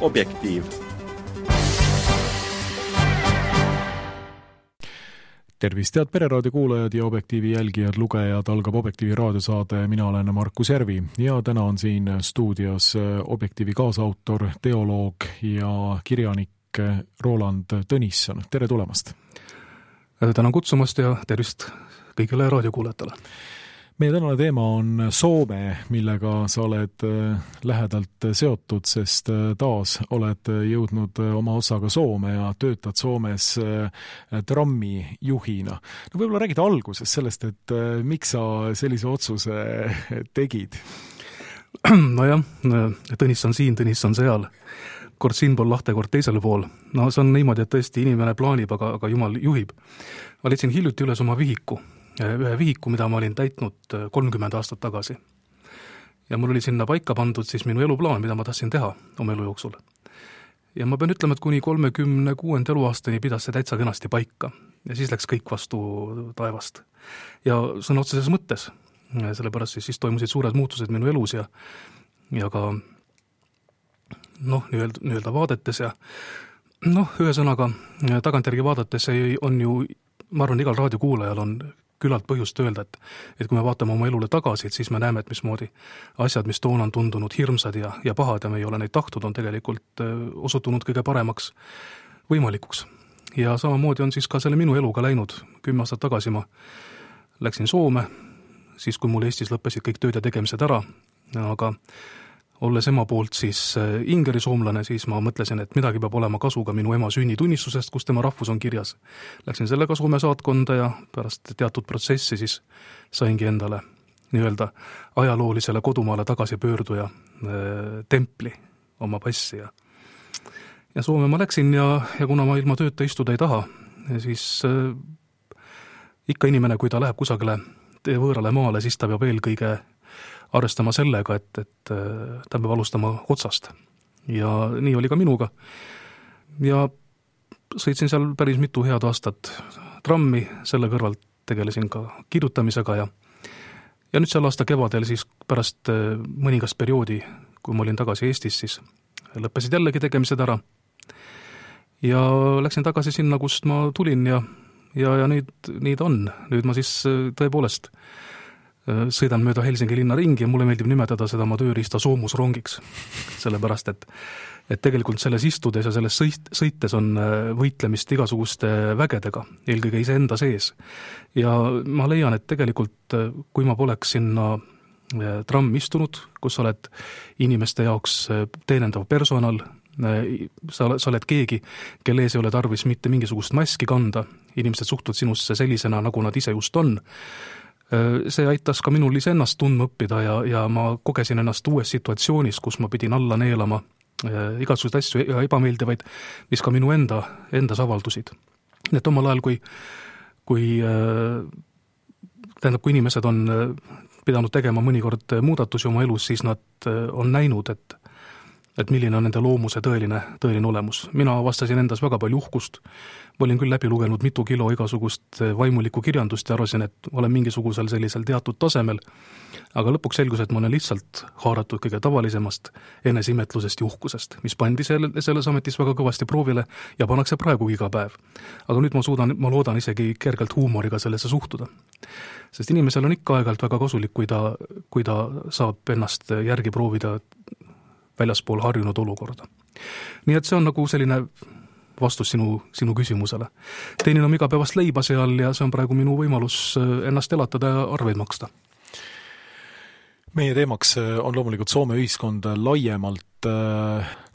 Objektiiv. Tervist, head Pereraadio kuulajad ja Objektiivi jälgijad, lugejad, algab Objektiivi raadiosaade, mina olen Markus Järvi ja täna on siin stuudios Objektiivi kaasautor, teoloog ja kirjanik Roland Tõnisson. Tere tulemast! Tänan kutsumast ja tervist kõigile raadiokuulajatele. Meie tänane teema on Soome, millega sa oled lähedalt seotud, sest taas oled jõudnud oma osaga Soome ja töötad Soomes trammijuhina. No võib-olla räägid alguses sellest, et miks sa sellise otsuse tegid? Nojah, Tõnis on siin, Tõnis on seal. Kord siin pool lahte, kord teisel pool. No see on niimoodi, et tõesti inimene plaanib, aga Jumal juhib. Ma leidsin hiljuti üles oma ühe vihiku, mida ma olin täitnud 30 aastat tagasi. Ja mul oli sinna paika pandud siis minu eluplaan, mida ma tahtsin teha oma elu jooksul. Ja ma pean ütlema, et kuni 36. eluaastani pidas see täitsa kenasti paika. Ja siis läks kõik vastu taevast. Ja sõna otseses mõttes, sellepärast siis toimusid suured muutused minu elus ja ka nii-öelda vaadetes ja ühesõnaga tagantjärgi vaadates on ju, ma arvan, igal raadiokuulajal on küllalt põhjust öelda, et kui me vaatame oma elule tagasi, siis me näeme, et mismoodi asjad, mis toona on tundunud hirmsad ja pahad ja me ei ole neid tahtnud, on tegelikult osutunud kõige paremaks võimalikuks. Ja samamoodi on siis ka selle minu eluga läinud. 10 aastat tagasi ma läksin Soome, siis kui mul Eestis lõppesid kõik tööd ja tegemised ära, aga olles ema poolt siis ingeri soomlane, siis ma mõtlesin, et midagi peab olema kasu ka minu ema sünnitunnistusest, kus tema rahvus on kirjas. Läksin sellega Soome saatkonda ja pärast teatud protsessi siis saingi endale nii-öelda ajaloolisele kodumaale tagasi pöörduja templi oma passi. Ja Soome ma läksin ja kuna ma ilma tööta istuda ei taha, siis ikka inimene, kui ta läheb kusagile võõrale maale, siis ta peab eelkõige arvestama sellega, et ta peab alustama otsast. Ja nii oli ka minuga. Ja sõitsin seal päris mitu head aastat trammi, selle kõrvalt tegelesin ka kirjutamisega ja nüüd seal aasta kevadel siis pärast mõningast perioodi, kui ma olin tagasi Eestis, siis lõppesid jällegi tegemised ära. Ja läksin tagasi sinna, kust ma tulin ja nüüd on. Nüüd ma siis tõepoolest sõidan mööda Helsingi linna ringi ja mulle meeldib nimetada seda oma tööriista soomusrongiks, sellepärast, et tegelikult selles istudes ja selles sõites on võitlemist igasuguste vägedega, eelkõige iseenda sees. Ja ma leian, et tegelikult, kui ma poleks sinna trammi istunud, kus oled inimeste jaoks teenendav personal, sa oled keegi, kelle ees ei ole tarvis mitte mingisugust maski kanda, inimesed suhtuvad sinusse sellisena, nagu nad ise just on, see aitas ka minul iseennast tundma õppida ja ma kogesin ennast uues situatsioonis, kus ma pidin alla neelama igasuguseid asju ja ebameeldivaid, mis ka minu endas avaldusid. Nii et omal ajal, kui inimesed on pidanud tegema mõnikord muudatusi oma elus, siis nad on näinud, et milline on nende loomuse tõeline olemus. Mina avastasin endas väga palju uhkust. Ma olin küll läbi lugenud mitu kilo igasugust vaimulikku kirjandust ja arvasin, et olen mingisugusel sellisel teatud tasemel, aga lõpuks selgus, et ma olen lihtsalt haaratud kõige tavalisemast eneseimetlusest ja uhkusest, mis pandi selles ametis väga kõvasti proovile ja pannakse praegu iga päev. Aga nüüd ma loodan isegi kergelt huumoriga sellesse suhtuda. Sest inimesel on ikka aegalt väga kasulik, kui ta saab ennast järgi proovida väljaspool harjunud olukorda. Nii et see on nagu selline vastus sinu küsimusele. Teenin on igapäevast leiba seal ja see on praegu minu võimalus ennast elatada ja arveid maksta. Meie teemaks on loomulikult Soome ühiskond laiemalt.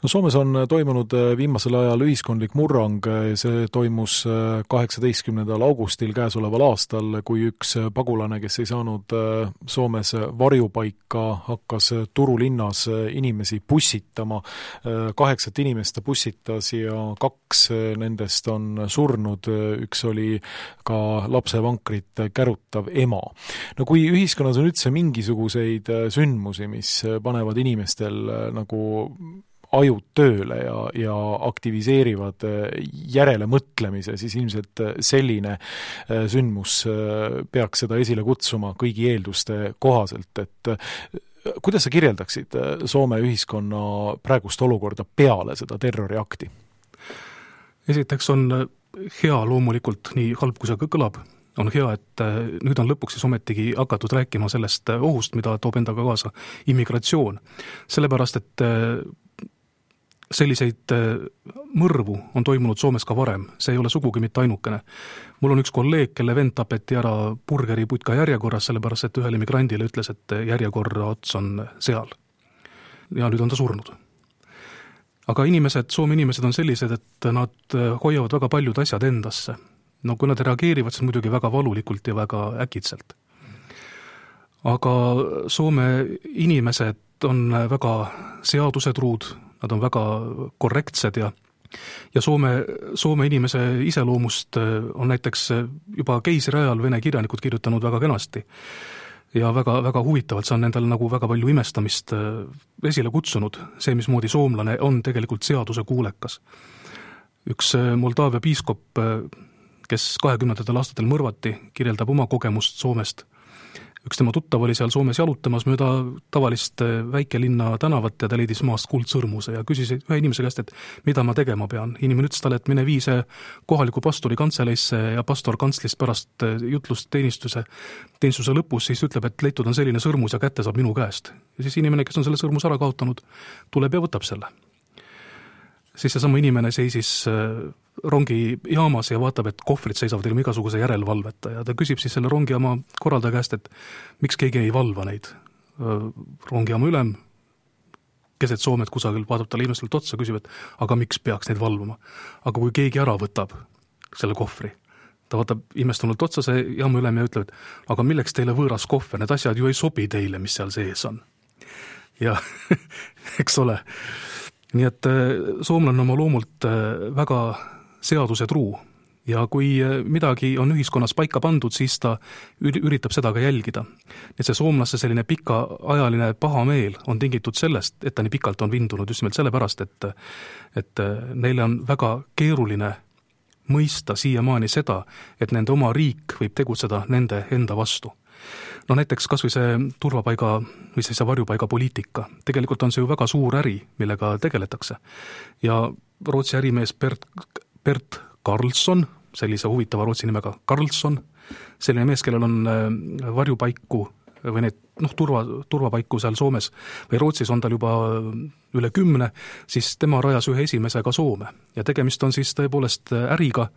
Soomes on toimunud viimasel ajal ühiskondlik murrang, see toimus 18. augustil käesoleval aastal, kui üks pagulane, kes ei saanud Soomes varjupaika, hakkas Turulinnas inimesi bussitama. 8 inimest ta bussitas ja 2 nendest on surnud, üks oli ka lapsevankrit kärutav ema. No kui ühiskonnas on üldse mingisuguseid sündmusi, mis panevad inimestel nagu ajud tööle ja aktiviseerivad järele mõtlemise, siis ilmselt selline sündmus peaks seda esile kutsuma kõigi eelduste kohaselt, et kuidas sa kirjeldaksid Soome ühiskonna praegust olukorda peale seda terroriakti? Esiteks on hea loomulikult, nii halb kui see kõlab, on hea, et nüüd on lõpuks siis ometigi hakatud rääkima sellest ohust, mida toob endaga kaasa immigratsioon. Sellepärast, et selliseid mõrvu on toimunud Soomes ka varem, see ei ole sugugi mitte ainukene. Mul on üks kolleeg, kelle vend tapeti ära burgeriputka järjekorras, sellepärast, et ühele migrandile ütles, et järjekorra ots on seal. Ja nüüd on ta surnud. Aga Soome inimesed on sellised, et nad hoiavad väga paljud asjad endasse. No kui nad reageerivad, siis muidugi väga valulikult ja väga äkitselt. Aga Soome inimesed on väga seadusetruud, nad on väga korrektsed ja Soome inimese iseloomust on näiteks juba keisri ajal vene kirjanikud kirjutanud väga kenasti. Ja väga, väga huvitavalt, see on nendel nagu väga palju imestamist esile kutsunud, see, mismoodi soomlane on tegelikult seaduse kuulekas. Üks Moldaavia piiskop, kes 20. aastatel mõrvati, kirjeldab oma kogemust Soomest. Üks tema tuttav oli seal Soomes jalutamas mööda tavalist väikelinna tänavat ja ta leidis maast kuldsõrmuse ja küsis ühe inimese käest, et mida ma tegema pean. Inimene ütles talle, et mine vii see kohaliku pastori kantseleisse ja pastor kantslist pärast jutlust teenistuse lõpus siis ütleb, et leitud on selline sõrmus ja kätte saab minu käest. Ja siis inimene, kes on selle sõrmus ära kaotanud, tuleb ja võtab selle. Siis see sama inimene seisis rongi jaamas ja vaatab, et kohvrid seisavad ilma igasuguse järelvalveta ja ta küsib siis selle rongijaama korraldaja käest, et miks keegi ei valva neid. Rongijaama ülem, keset Soomet kusagil, vaatab talle imestult otsa, küsib, et aga miks peaks neid valvama. Aga kui keegi ära võtab selle kohvri, ta vaatab imestunult otsa see jaama ülem ja ütleb, et aga milleks teile võõras kohver, need asjad ju ei sobi teile, mis seal sees on. Ja eks ole. Nii et soomlane oma loomult väga seadusetruu ja kui midagi on ühiskonnas paika pandud, siis ta üritab seda ka jälgida. Et see soomlasse selline pikaajaline pahameel on tingitud sellest, et ta nii pikalt on vindunud just nimelt sellepärast, et neile on väga keeruline mõista siiamaani seda, et nende oma riik võib tegutseda nende enda vastu. No näiteks kas või see turvapaiga või see varjupaiga poliitika. Tegelikult on see ju väga suur äri, millega tegeletakse. Ja Rootsi ärimees Bert Karlsson, sellise huvitava Rootsi nimega Karlsson, selline mees, kellel on varjupaiku või need turvapaiku seal Soomes või Rootsis on tal juba üle 10, siis tema rajas ühe esimese ka Soome. Ja tegemist on siis tõepoolest äriga,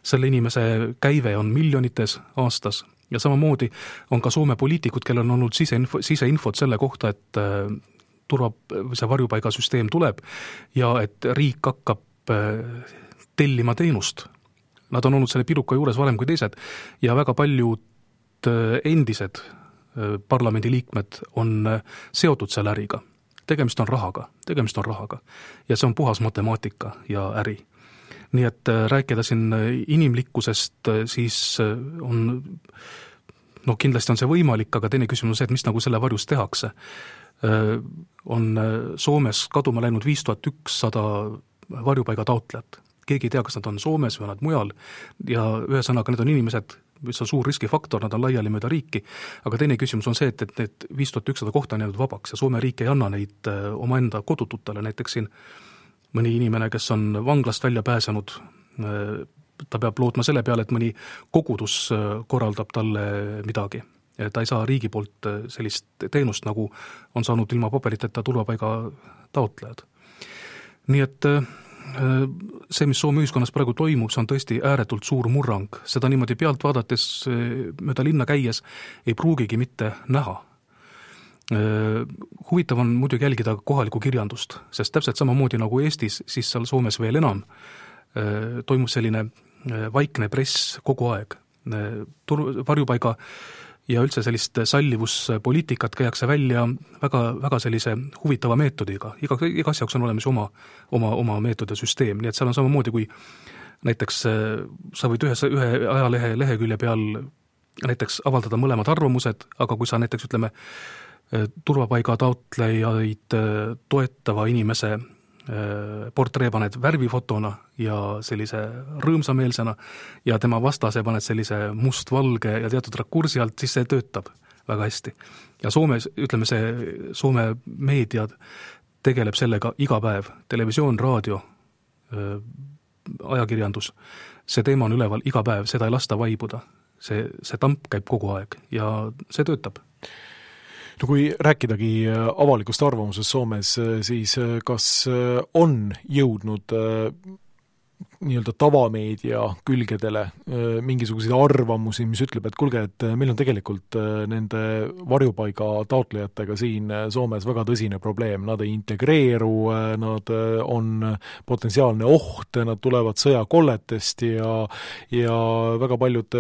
selle inimese käive on miljonites aastas. Ja samamoodi on ka Soome poliitikud, kellel on olnud siseinfot selle kohta, et see varjupaigasüsteem tuleb ja et riik hakkab tellima teenust. Nad on olnud selle piruka juures varem kui teised ja väga paljud endised parlamendiliikmed on seotud selle äriga. Tegemist on rahaga. Ja see on puhas matemaatika ja äri. Nii et rääkida siin inimlikkusest, siis on, kindlasti on see võimalik, aga teine küsimus on see, et mis nagu selle varjus tehakse. On Soomes kaduma läinud 5100 varjupaiga taotlejat. Keegi ei tea, kas nad on Soomes või nad mujal ja ühesõnaga need on inimesed, mis on suur riskifaktor, nad on laiali mööda riiki, aga teine küsimus on see, et need 5100 kohta on jäänud vabaks ja Soome riik ei anna neid omaenda kodututele, näiteks siin mõni inimene, kes on vanglast välja pääsenud, ta peab lootma selle peale, et mõni kogudus korraldab talle midagi. Ta ei saa riigi poolt sellist teenust, nagu on saanud ilma paberiteta turvapaiga taotlejad. Nii et see, mis Soome ühiskonnas praegu toimub, see on tõesti ääretult suur murrang. Seda niimoodi pealt vaadates mööda linna käies ei pruugigi mitte näha. Huvitav on muidugi jälgida kohalikku kirjandust, sest täpselt samamoodi nagu Eestis, siis seal Soomes veel enam toimub selline vaikne press kogu aeg. Varjupaiga ja üldse sellist sallivuspoliitikat käiakse välja väga, väga sellise huvitava meetodiga. Igas jaoks on olemas oma meetod ja süsteem, nii et seal on samamoodi, kui näiteks sa võid ühe ajalehe lehekülje peal näiteks avaldada mõlemad arvamused, aga kui sa näiteks ütleme turvapaiga taotlejaid toetava inimese portree paned värvifotona ja sellise rõõmsameelsena ja tema vastase paned sellise mustvalge ja teatud rakursi alt, siis see töötab. väga hästi. Ja Soomes, ütleme see Soome meedia tegeleb sellega iga päev, televisioon, raadio, ajakirjandus, see teema on üleval iga päev, seda ei lasta vaibuda. See tamp käib kogu aeg ja see töötab. No kui rääkidagi avalikust arvamusest Soomes, siis kas on jõudnud nii-öelda tavameedia külgedele mingisuguseid arvamusi, mis ütleb, et kuulge, et meil on tegelikult nende varjupaiga taotlejatega siin Soomes väga tõsine probleem, nad ei integreeru, nad on potentsiaalne oht, nad tulevad sõjakolletest ja väga paljud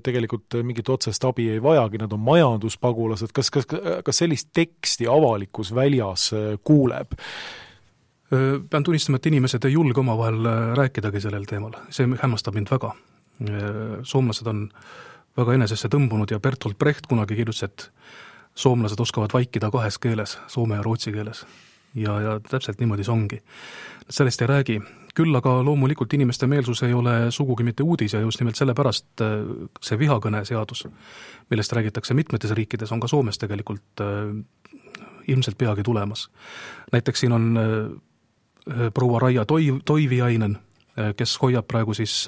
tegelikult mingit otsest abi ei vajagi, nad on majanduspagulased, kas sellist teksti avalikus väljas kuuleb? Pean tunnistama, et inimesed ei julge omavahel rääkidagi sellel teemal. See hämmastab mind väga. Soomlased on väga enesesse tõmbunud ja Bertolt Brecht kunagi kirjutas, et soomlased oskavad vaikida 2 keeles, soome ja rootsi keeles. Ja täpselt niimoodi see ongi. Sellest ei räägi. Küll aga loomulikult inimeste meelsus ei ole sugugi mitte uudis ja just nimelt sellepärast see vihakõne seadus, millest räägitakse mitmetes riikides, on ka Soomes tegelikult ilmselt peagi tulemas. Näiteks siin on proua Raija Toiviainen, kes hoiab praegu siis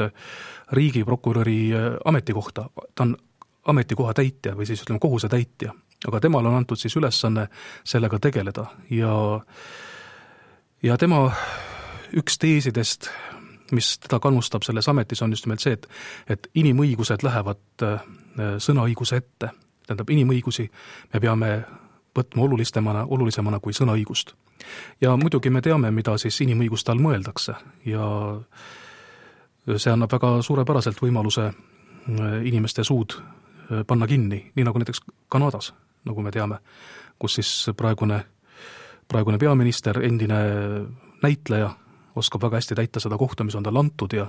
riigiprokuröri ametikohta. Ta on ametikoha täitja või siis ütleme kohuse täitja, aga temal on antud siis ülesanne sellega tegeleda ja tema üks teesidest, mis teda kannustab selles ametis, on just nimelt see, et inimõigused lähevad sõnaõiguse ette. Tähendab, inimõigusi me peame võtma olulisemana kui sõnaõigust. Ja muidugi me teame, mida siis inimõiguste all mõeldakse ja see annab väga suurepäraselt võimaluse inimeste suud panna kinni, nii nagu näiteks Kanadas, nagu me teame, kus siis praegune peaminister, endine näitleja, oskab väga hästi täita seda kohta, mis on tal antud ja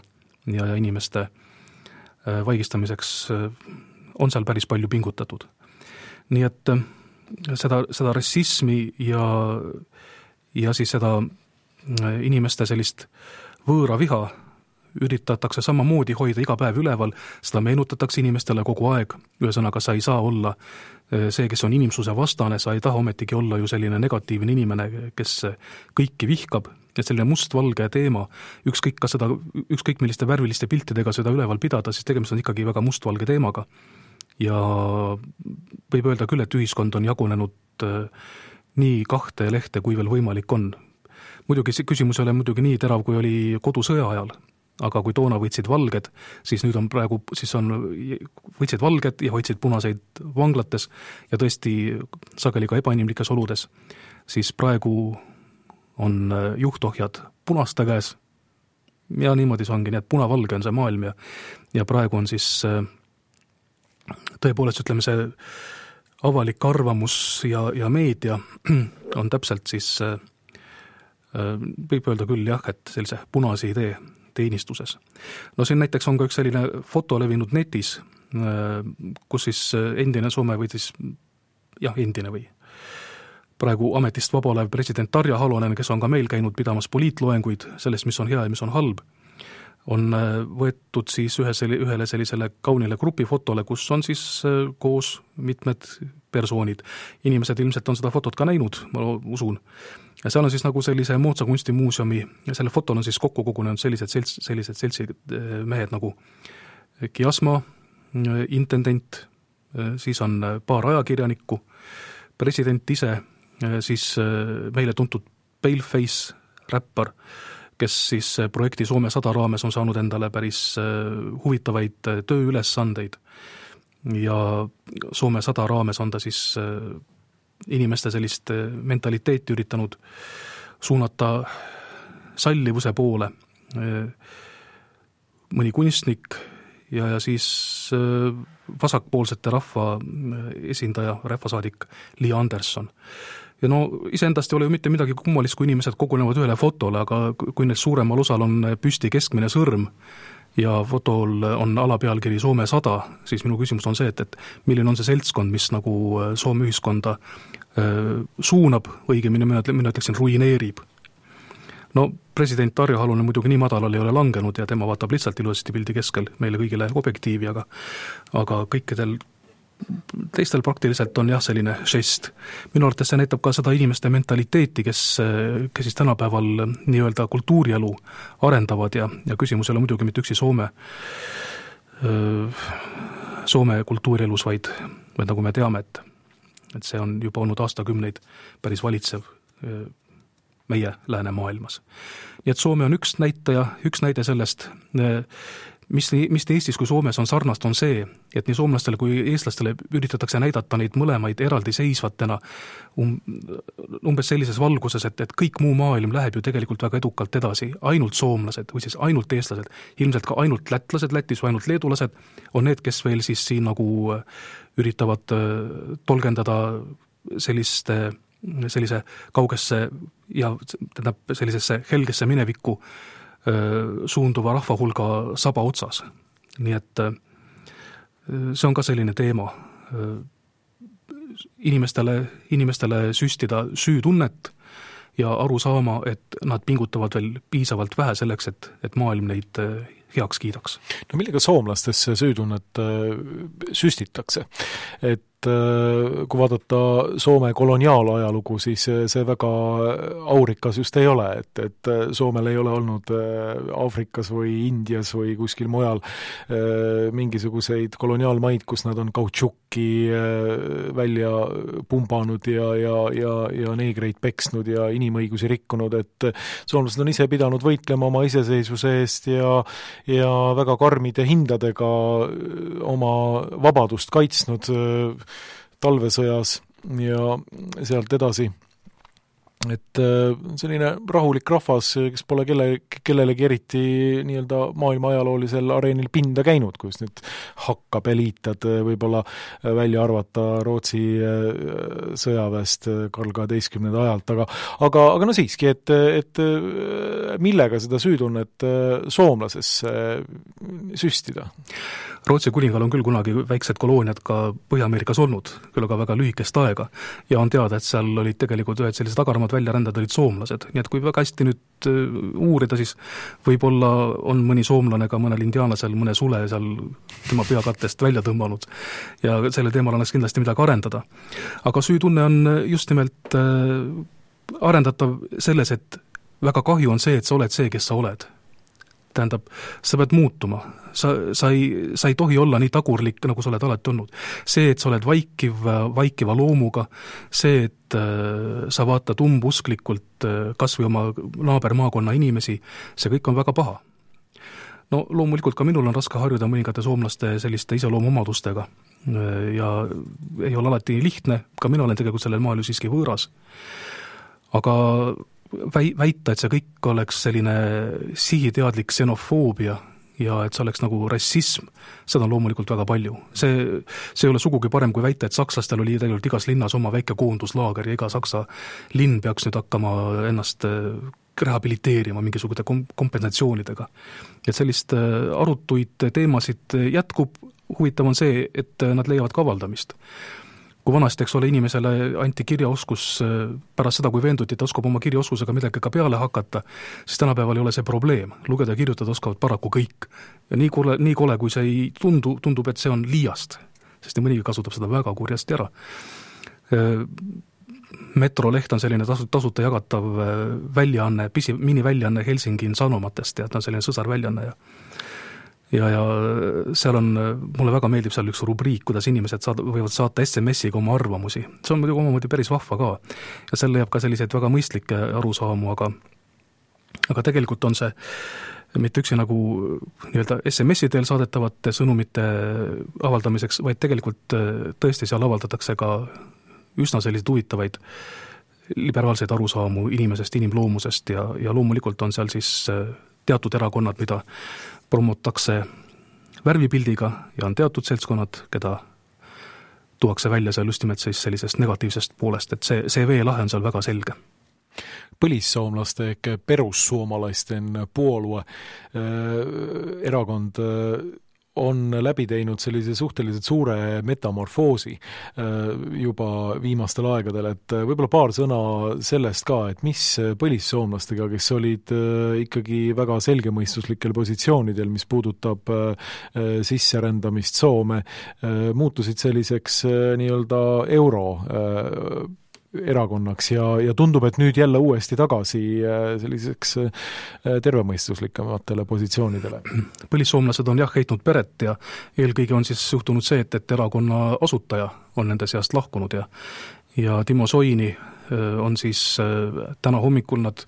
inimeste vaigistamiseks on seal päris palju pingutatud. Nii et seda rassismi ja siis seda inimeste sellist võõra viha üritatakse samamoodi hoida iga päev üleval, seda meenutatakse inimestele kogu aeg, ühesõnaga sa ei saa olla see, kes on inimsuse vastane, sa ei taha ometigi olla ju selline negatiivne inimene, kes kõiki vihkab, et selline mustvalge teema, ükskõik milliste värviliste piltidega seda üleval pidada, siis tegemist on ikkagi väga mustvalge teemaga. Ja võib öelda küll, et ühiskond on jagunenud nii 2 lehte, kui veel võimalik on. Muidugi see küsimus ei ole muidugi nii terav, kui oli kodusõja ajal, aga kui toona võitsid valged, siis nüüd on praegu, võitsid valged ja hoidsid punaseid vanglates ja tõesti sageli ka ebainimlikes oludes, siis praegu on juhtohjad punaste käes ja niimoodi see ongi, nii et punavalge on see maailm ja praegu on siis tõepoolest, ütleme, see avalik arvamus ja meedia on täpselt siis, võib öelda küll jah, et sellise punase idee teenistuses. No siin näiteks on ka üks selline foto levinud netis, kus siis endine Soome või siis, endine või praegu ametist vaba olev president Tarja Halonen, kes on ka meil käinud pidamas poliitloenguid sellest, mis on hea ja mis on halb, on võetud siis ühele sellisele kaunile grupifotole, kus on siis koos mitmed persoonid. Inimesed ilmselt on seda fotot ka näinud, ma usun. Ja seal on siis nagu sellise moodsa kunstimuuseumi, ja selle fotol on siis kokku kogunenud sellised seltsid mehed nagu Kiasma, intendent, siis on paar ajakirjanikku, president ise, siis meile tuntud Paleface räppar, kes siis projekti Soome 100 raames on saanud endale päris huvitavaid tööülesandeid ja Soome 100 raames on ta siis inimeste sellist mentaliteeti üritanud suunata sallivuse poole. Mõni kunstnik ja siis vasakpoolsete rahva esindaja, rahvasaadik Li Anderson. Ja no iseendast ei ole ju mitte midagi kummalist, kui inimesed kogunevad ühele fotole, aga kui need suuremal osal on püsti keskmine sõrm ja fotol on alapealkiri Soome 100, siis minu küsimus on see, et milline on see seltskond, mis nagu Soome ühiskonda suunab, õigemini mina ütleksin ruineerib. No president Tarja Halonen muidugi nii madalal ei ole langenud ja tema vaatab lihtsalt ilusasti pildi keskel meile kõigile objektiivi, aga kõikidel teistel praktiliselt on jah selline žest. Minu arvates see näitab ka seda inimeste mentaliteeti, kes siis tänapäeval nii-öelda kultuurielu arendavad ja küsimus ei ole muidugi mitte üksi Soome kultuurielus, vaid nagu me teame, et see on juba olnud aastakümneid päris valitsev meie läänemaailmas. Nii et Soome on üks näide sellest, mis nii Eestis kui Soomes on sarnast, on see, et nii soomlastele kui eestlastele üritatakse näidata neid mõlemaid eraldiseisvatena umbes sellises valguses, et kõik muu maailm läheb ju tegelikult väga edukalt edasi. Ainult soomlased või siis ainult eestlased, ilmselt ka ainult lätlased Lätis või ainult leedulased on need, kes veel siis siin nagu üritavad tolgendada sellise kaugesse ja sellisesse helgesse minevikku suunduva rahvahulga saba otsas. Nii et see on ka selline teema. Inimestele süstida süütunnet ja aru saama, et nad pingutavad veel piisavalt vähe selleks, et maailm neid heaks kiidaks. No millega soomlastesse süütunnet süstitakse? Et kui vaadata Soome koloniaalajalugu, siis see väga aurikas just ei ole, et Soomel ei ole olnud Aafrikas või Indias või kuskil mujal mingisuguseid koloniaalmaid, kus nad on kautšukki välja pumbanud ja neegreid peksnud ja inimõigusi rikkunud, et soomlased on ise pidanud võitlema oma iseseisvuse eest ja väga karmide hindadega oma vabadust kaitsnud talvesõjas ja sealt edasi. Et selline rahulik rahvas, kes pole kellelegi eriti nii-öelda maailma ajaloolisel areenil pinda käinud, kus nüüd hakkapeliitad võib-olla välja arvata Rootsi sõjaväest Karl 12. ajalt, aga no siiski, et millega seda süütunnet soomlasesse süstida? Rootsi kuningal on küll kunagi väiksed kolooniad ka Põhja-Ameerikas olnud, küll aga väga lühikest aega, ja on teada, et seal olid tegelikult ühed sellised agaramad väljarändad olid soomlased, nii et kui väga hästi nüüd uurida, siis võib-olla on mõni soomlane ka mõnel indiaanlasel mõne sule seal tema peakattest välja tõmmanud ja selle teemal annaks kindlasti midagi arendada. Aga süütunne on just nimelt arendatav selles, et väga kahju on see, et sa oled see, kes sa oled. Tähendab, sa pead muutuma. Sa ei tohi olla nii tagurlik, nagu sa oled alati olnud. See, et sa oled vaikiva loomuga, see, et sa vaatad umbusklikult kas või oma naabermaakonna inimesi, see kõik on väga paha. No loomulikult ka minul on raske harjuda mõningate soomlaste selliste iseloomuomadustega ja ei ole alati lihtne, ka mina olen tegelikult sellel maal ju siiski võõras. Aga väita, et see kõik oleks selline sihiteadlik xenofoobia ja et see oleks nagu rassism, seda on loomulikult väga palju. See ei ole sugugi parem kui väita, et sakslastel oli tegelikult igas linnas oma väike koonduslaager ja iga saksa linn peaks nüüd hakkama ennast rehabiliteerima mingisuguste kompensatsioonidega. Et sellist arutuid teemasid jätkub, huvitav on see, et nad leiavad ka avaldamist. Kui vanasti, eks ole, inimesele anti kirjaoskus pärast seda, kui veenduti, et oskab oma kirjaoskusega midagi ka peale hakata, siis tänapäeval ei ole see probleem. Lugeda ja kirjutada oskavad paraku kõik. Ja nii kole, kui see ei tundub, et see on liiast, sest mõnigi kasutab seda väga kurjasti ära. Metroleht on selline tasuta jagatav väljaanne, miniväljaanne Helsingin Sanomatest, ja ta on selline sõsarväljaanne ja seal on, mulle väga meeldib seal üks rubriik, kuidas inimesed võivad saata SMS-iga oma arvamusi. See on muidugi omamoodi päris vahva ka. Ja seal leiab ka selliseid väga mõistlikke arusaamu, aga tegelikult on see mitte üksi nagu nii-öelda SMS-i teel saadetavate sõnumite avaldamiseks, vaid tegelikult tõesti seal avaldatakse ka üsna selliseid huvitavaid liberaalseid arusaamu inimesest, inimloomusest ja loomulikult on seal siis teatud erakonnad, mida promotakse värvipildiga ja on teatud seltskonnad, keda tuuakse välja seal just nimelt sellisest negatiivsest poolest, et see veelahe on seal väga selge. Põlissoomlaste ehk perussuomalaisten puolue erakond on läbi teinud sellise suhteliselt suure metamorfoosi juba viimastel aegadel, et võib-olla paar sõna sellest ka, et mis põlissoomlastega, kes olid ikkagi väga selgemõistuslikel positsioonidel, mis puudutab sisserändamist Soome, muutusid selliseks nii-öelda euro erakonnaks ja tundub, et nüüd jälle uuesti tagasi selliseks tervemõistuslikamatele positsioonidele. Põlissoomlased on heitnud peret ja eelkõige on siis juhtunud see, et erakonna asutaja on nende seast lahkunud ja Timo Soini on siis täna hommikul nad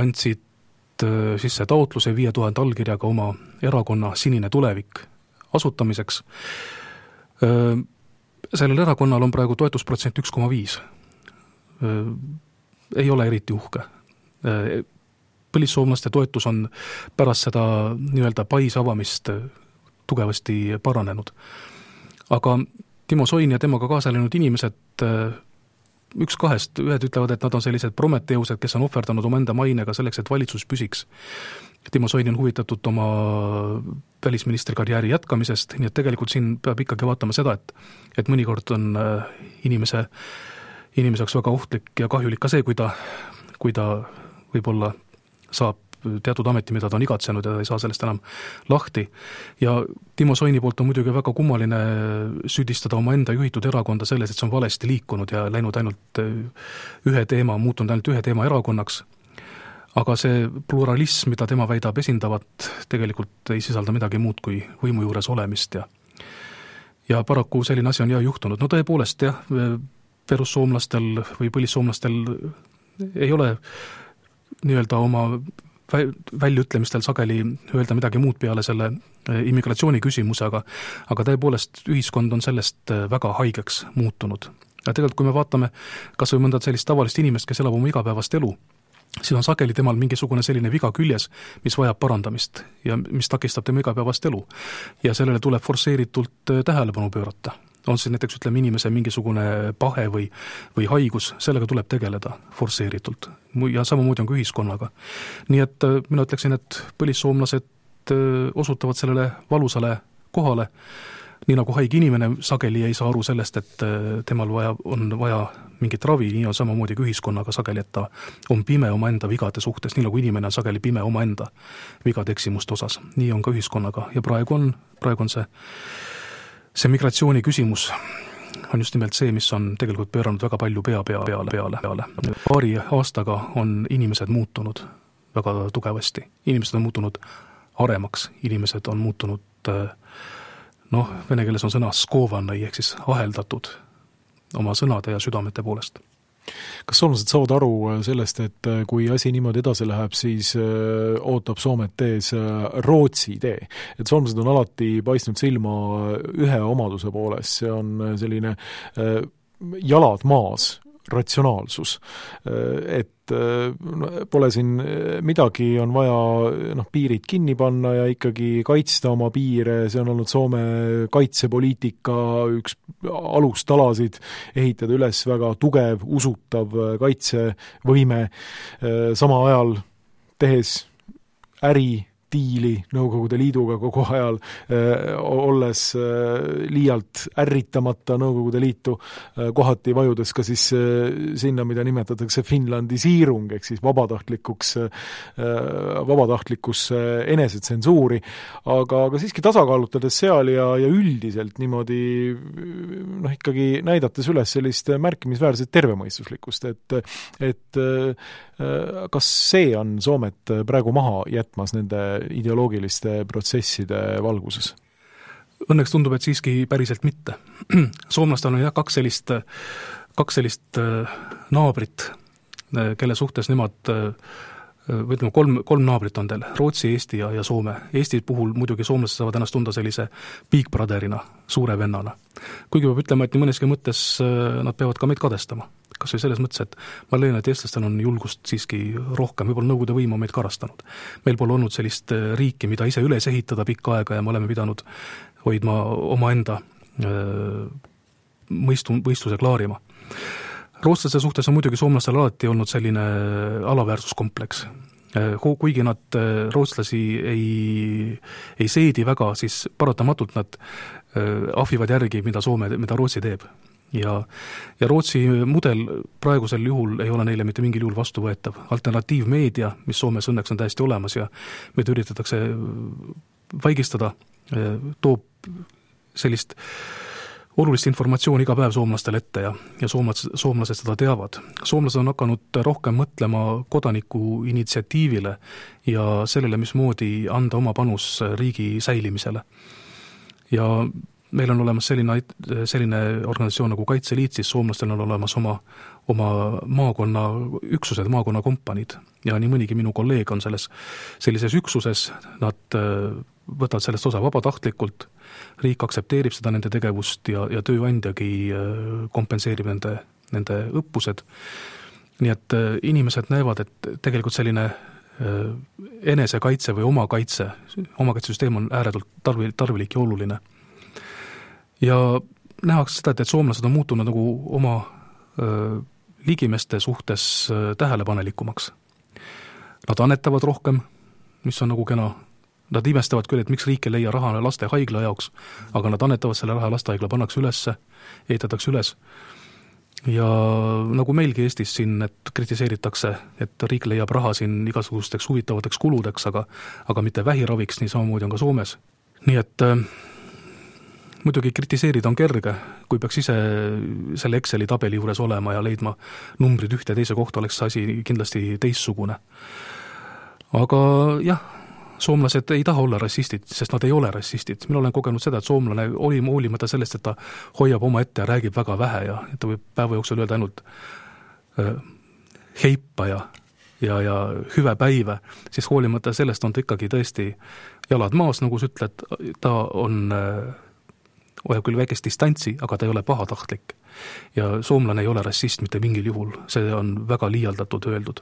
andsid sisse taotluse 5000 allkirjaga oma erakonna Sinine tulevik asutamiseks. Sellel erakonnal on praegu toetusprotsent 1,5. Ei ole eriti uhke. Põlissoomlaste toetus on pärast seda nii-öelda pais avamist tugevasti paranenud. Aga Timo Soin ja temaga kaasa läinud inimesed, üks kahest, ühed ütlevad, et nad on sellised prometeused, kes on ohverdanud omaenda mainega selleks, et valitsus püsiks. Timo Soini on huvitatud oma välisministri karjääri jätkamisest, nii et tegelikult siin peab ikkagi vaatama seda, et mõnikord on inimese jaoks väga ohtlik ja kahjulik ka see, kui ta võib-olla saab teatud ameti, mida ta on igatsenud ja ta ei saa sellest enam lahti. Ja Timo Soini poolt on muidugi väga kummaline süüdistada oma enda juhitud erakonda selles, et see on valesti liikunud ja läinud ainult muutunud ainult ühe teema erakonnaks. Aga see pluralism, mida tema väidab esindavat, tegelikult ei sisalda midagi muud kui võimu juures olemist ja paraku selline asi on juhtunud. No tõepoolest perussoomlastel või põlissoomlastel ei ole nii-öelda oma väljaütlemistel sageli öelda midagi muud peale selle immigratsiooni küsimuse, aga tõepoolest ühiskond on sellest väga haigeks muutunud. Ja tegelikult, kui me vaatame kas või mõnda sellist tavalist inimest, kes elab oma igapäevast elu, siis on sageli temal mingisugune selline viga küljes, mis vajab parandamist ja mis takistab tema igapäevast elu. Ja sellele tuleb forsseeritult tähelepanu pöörata. On siis näiteks, inimese mingisugune pahe või haigus, sellega tuleb tegeleda forsseeritult. Ja samamoodi on ka ühiskonnaga. Nii et mina ütleksin, et põlissoomlased osutavad sellele valusale kohale, nii nagu haige inimene sageli ei saa aru sellest, et temal on vaja mingit ravi, nii on samamoodi ka ühiskonnaga sageli, et ta on pime omaenda vigade suhtes, nii nagu inimene on sageli pime omaenda vigade eksimuste osas. Nii on ka ühiskonnaga ja praegu on see migratsiooni küsimus on just nimelt see, mis on tegelikult pööranud väga palju peale. Paari aastaga on inimesed muutunud väga tugevasti. Inimesed on muutunud aremaks, inimesed on muutunud vene keeles on sõna skovanai, ehk siis aheldatud oma sõnade ja südamete poolest. Kas soomlased saavad aru sellest, et kui asi niimoodi edasi läheb, siis ootab Soomet ees Rootsi tee? Et soomlased on alati paistnud silma ühe omaduse poolest, see on selline jalad maas, ratsionaalsus, et pole siin midagi, on vaja piirid kinni panna ja ikkagi kaitsta oma piire, see on olnud Soome kaitsepoliitika üks alustalasid, ehitada üles väga tugev, usutav kaitsevõime, sama ajal tehes diili Nõukogude Liiduga kogu ajal, olles liialt ärritamata Nõukogude Liitu, kohati vajudes ka siis sinna, mida nimetatakse finlandisiirung, ehk siis vabatahtlikkus enesetsensuuri, aga siiski tasakaalutades seal ja üldiselt niimoodi ikkagi näidates üles sellist märkimisväärset tervemõistuslikkust, et kas see on Soomet praegu maha jätmas nende ideoloogiliste protsesside valguses? Õnneks tundub, et siiski päriselt mitte. Soomlastel on kaks sellist naabrit, kelle suhtes nemad, võtame kolm naabrit on teil, Rootsi, Eesti ja Soome. Eesti puhul muidugi soomlased saavad ennast tunda sellise big brotherina, suure vennana. Kuigi peab ütlema, et nii mõneski mõttes nad peavad ka meid kadestama. Kas või selles mõttes, et ma leian, et eestlastel on julgust siiski rohkem, võib-olla Nõukogude võim on meid karastanud. Meil pole olnud sellist riiki, mida ise üles ehitada pikka aega ja me oleme pidanud hoidma omaenda mõistuse klaarima. Rootslaste suhtes on muidugi soomlastel alati olnud selline alaväärsuskompleks. Kuigi nad rootslasi ei seedi väga, siis paratamatult nad ahvivad järgi, mida Rootsi teeb. Ja Rootsi mudel praegusel juhul ei ole neile mitte mingil juhul vastuvõetav. Alternatiivmeedia, mis Soomes õnneks on täiesti olemas ja meid üritatakse vaigistada, toob sellist olulist informatsiooni iga päev soomlastele ette ja soomlased seda teavad. Soomlased on hakanud rohkem mõtlema kodaniku initsiatiivile ja sellele, mismoodi anda oma panus riigi säilimisele. Ja meil on olemas selline organisatsioon nagu Kaitseliit, siis soomlastel on olemas oma maakonna üksused, maakonna kompaniid ja nii mõnigi minu kolleeg on sellises üksuses, nad võtavad sellest osa vabatahtlikult, riik aksepteerib seda nende tegevust ja tööandjagi kompenseerib nende õppused. Nii et inimesed näevad, et tegelikult selline enesekaitse või omakaitsesüsteem on ääretult tarvilik ja oluline. Ja nähakse seda, et soomlased on muutunud nagu oma ligimeste suhtes tähelepanelikumaks. Nad annetavad rohkem, mis on nagu kena. Nad imestavad küll, et miks riik ei leia raha laste haigla jaoks, aga nad annetavad selle raha lastehaigla, pannakse ülesse, ehitatakse üles. Ja nagu meilgi Eestis siin, et kritiseeritakse, et riik leiab raha siin igasugusteks huvitavateks kuludeks, aga mitte vähiraviks, nii samamoodi on ka Soomes. Nii et muidugi kritiseerida on kerge, kui peaks ise selle Exceli tabeli juures olema ja leidma numbrid ühte ja teise kohta, oleks asi kindlasti teistsugune. Aga jah, soomlased ei taha olla rassistid, sest nad ei ole rassistid. Mina olen kogenud seda, et soomlane oli hoolimata sellest, et ta hoiab oma ette ja räägib väga vähe ja ta võib päeva jooksul öelda ainult heippa ja hüve päive, siis hoolimata sellest on ta ikkagi tõesti jalad maas, nagu sa ütled, ta hoiab küll väikest distantsi, aga ta ei ole pahatahtlik. Ja soomlane ei ole rassist mitte mingil juhul, see on väga liialdatud öeldud.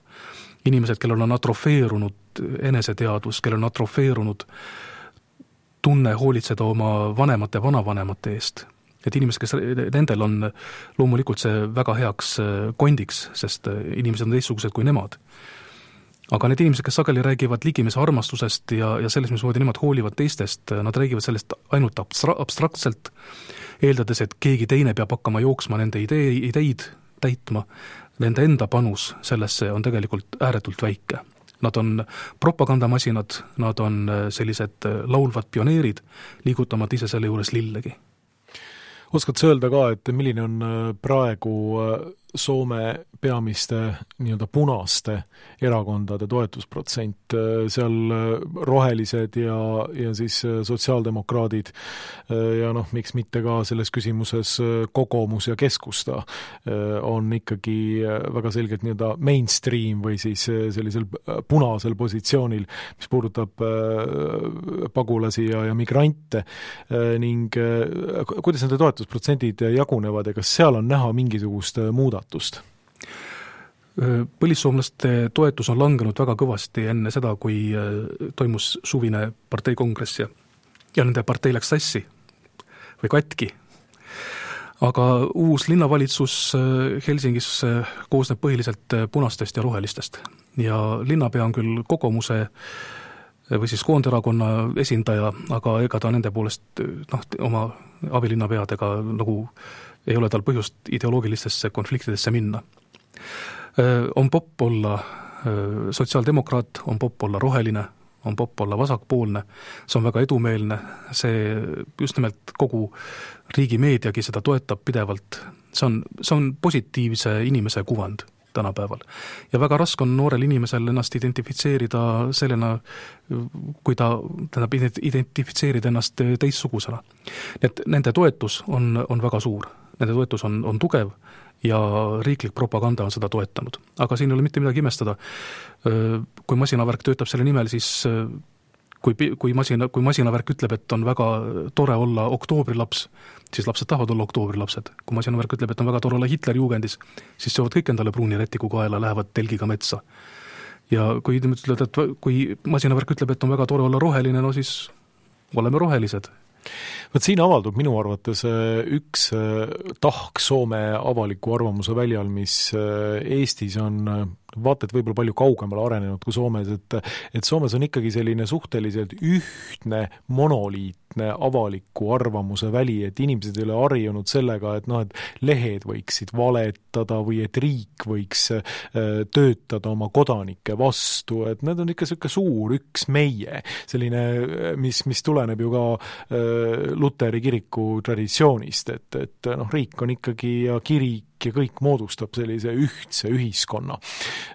Inimesed, kellel on atrofeerunud eneseteadvus, kellel on atrofeerunud tunne hoolitseda oma vanemate vanavanemate eest. Et inimesed, kes nendel on loomulikult see väga heaks kondiks, sest inimesed on teistsugused kui nemad. Aga need inimesed, kes sageli räägivad ligimese armastusest ja selles, mismoodi nemad hoolivad teistest, nad räägivad sellest ainult abstraktselt, eeldades, et keegi teine peab hakkama jooksma nende ideid täitma. Nende enda panus sellesse on tegelikult ääretult väike. Nad on propagandamasinad, nad on sellised laulvad pioneerid, liigutamad ise selle juures lillegi. Oskad sa öelda ka, et milline on praegu Soome peamiste nii-öelda punaste erakondade toetusprotsent, seal rohelised ja siis sotsiaaldemokraadid ja miks mitte ka selles küsimuses Kokoomus ja Keskusta on ikkagi väga selgelt nii-öelda mainstream või siis sellisel punasel positsioonil, mis puudutab pagulasi ja migrante ning kuidas nende toetusprotsendid jagunevad ja kas seal on näha mingisugust muudatust? Põlissoomlaste toetus on langenud väga kõvasti enne seda, kui toimus suvine parteikongress ja nende partei läks sassi või katki. Aga uus linnavalitsus Helsingis koosneb põhiliselt punastest ja rohelistest. Ja linnapea on küll Kokoomuse või siis Koonderakonna esindaja, aga ega ta nende poolest oma abilinnapeadega nagu ei ole tal põhjust ideoloogilistesse konfliktidesse minna. On popp olla sotsiaaldemokraat, on popp olla roheline, on popp olla vasakpoolne, see on väga edumeelne, see just nimelt kogu riigi meediagi seda toetab pidevalt, see on positiivse inimese kuvand tänapäeval. Ja väga raske on noorel inimesel ennast identifitseerida sellena, kui ta identifitseerida ennast teistsugusena. Et nende toetus on väga suur, nende toetus on tugev ja riiklik propaganda on seda toetanud. Aga siin ei ole mitte midagi imestada. Kui masinavärk töötab selle nimel, siis kui masinavärk ütleb, et on väga tore olla oktoobриlaps, siis lapsed tahavad olla oktoobrilapsed. Kui masinavärk ütleb, et on väga tore olla Hitlerjugendis, siis söövad kõik endale pruuni rätiku kaela, lähevad telgiga metsa. Ja kui masinavärk ütleb, et on väga tore olla roheline, no siis oleme rohelised. Võt siin avaldub minu arvates üks tahk Soome avaliku arvamuse väljal, mis Eestis on vaata, et võib-olla palju kaugemale arenenud kui Soomes, et Soomes on ikkagi selline suhteliselt ühtne, monoliitne avaliku arvamuse väli, et inimesed ei ole harjunud sellega, et et lehed võiksid valetada või et riik võiks töötada oma kodanike vastu, et need on ikka selline suur üks meie, selline, mis tuleneb ju ka Luteri kiriku traditsioonist, et riik on ikkagi ja kirik ja kõik moodustab sellise ühtse ühiskonna.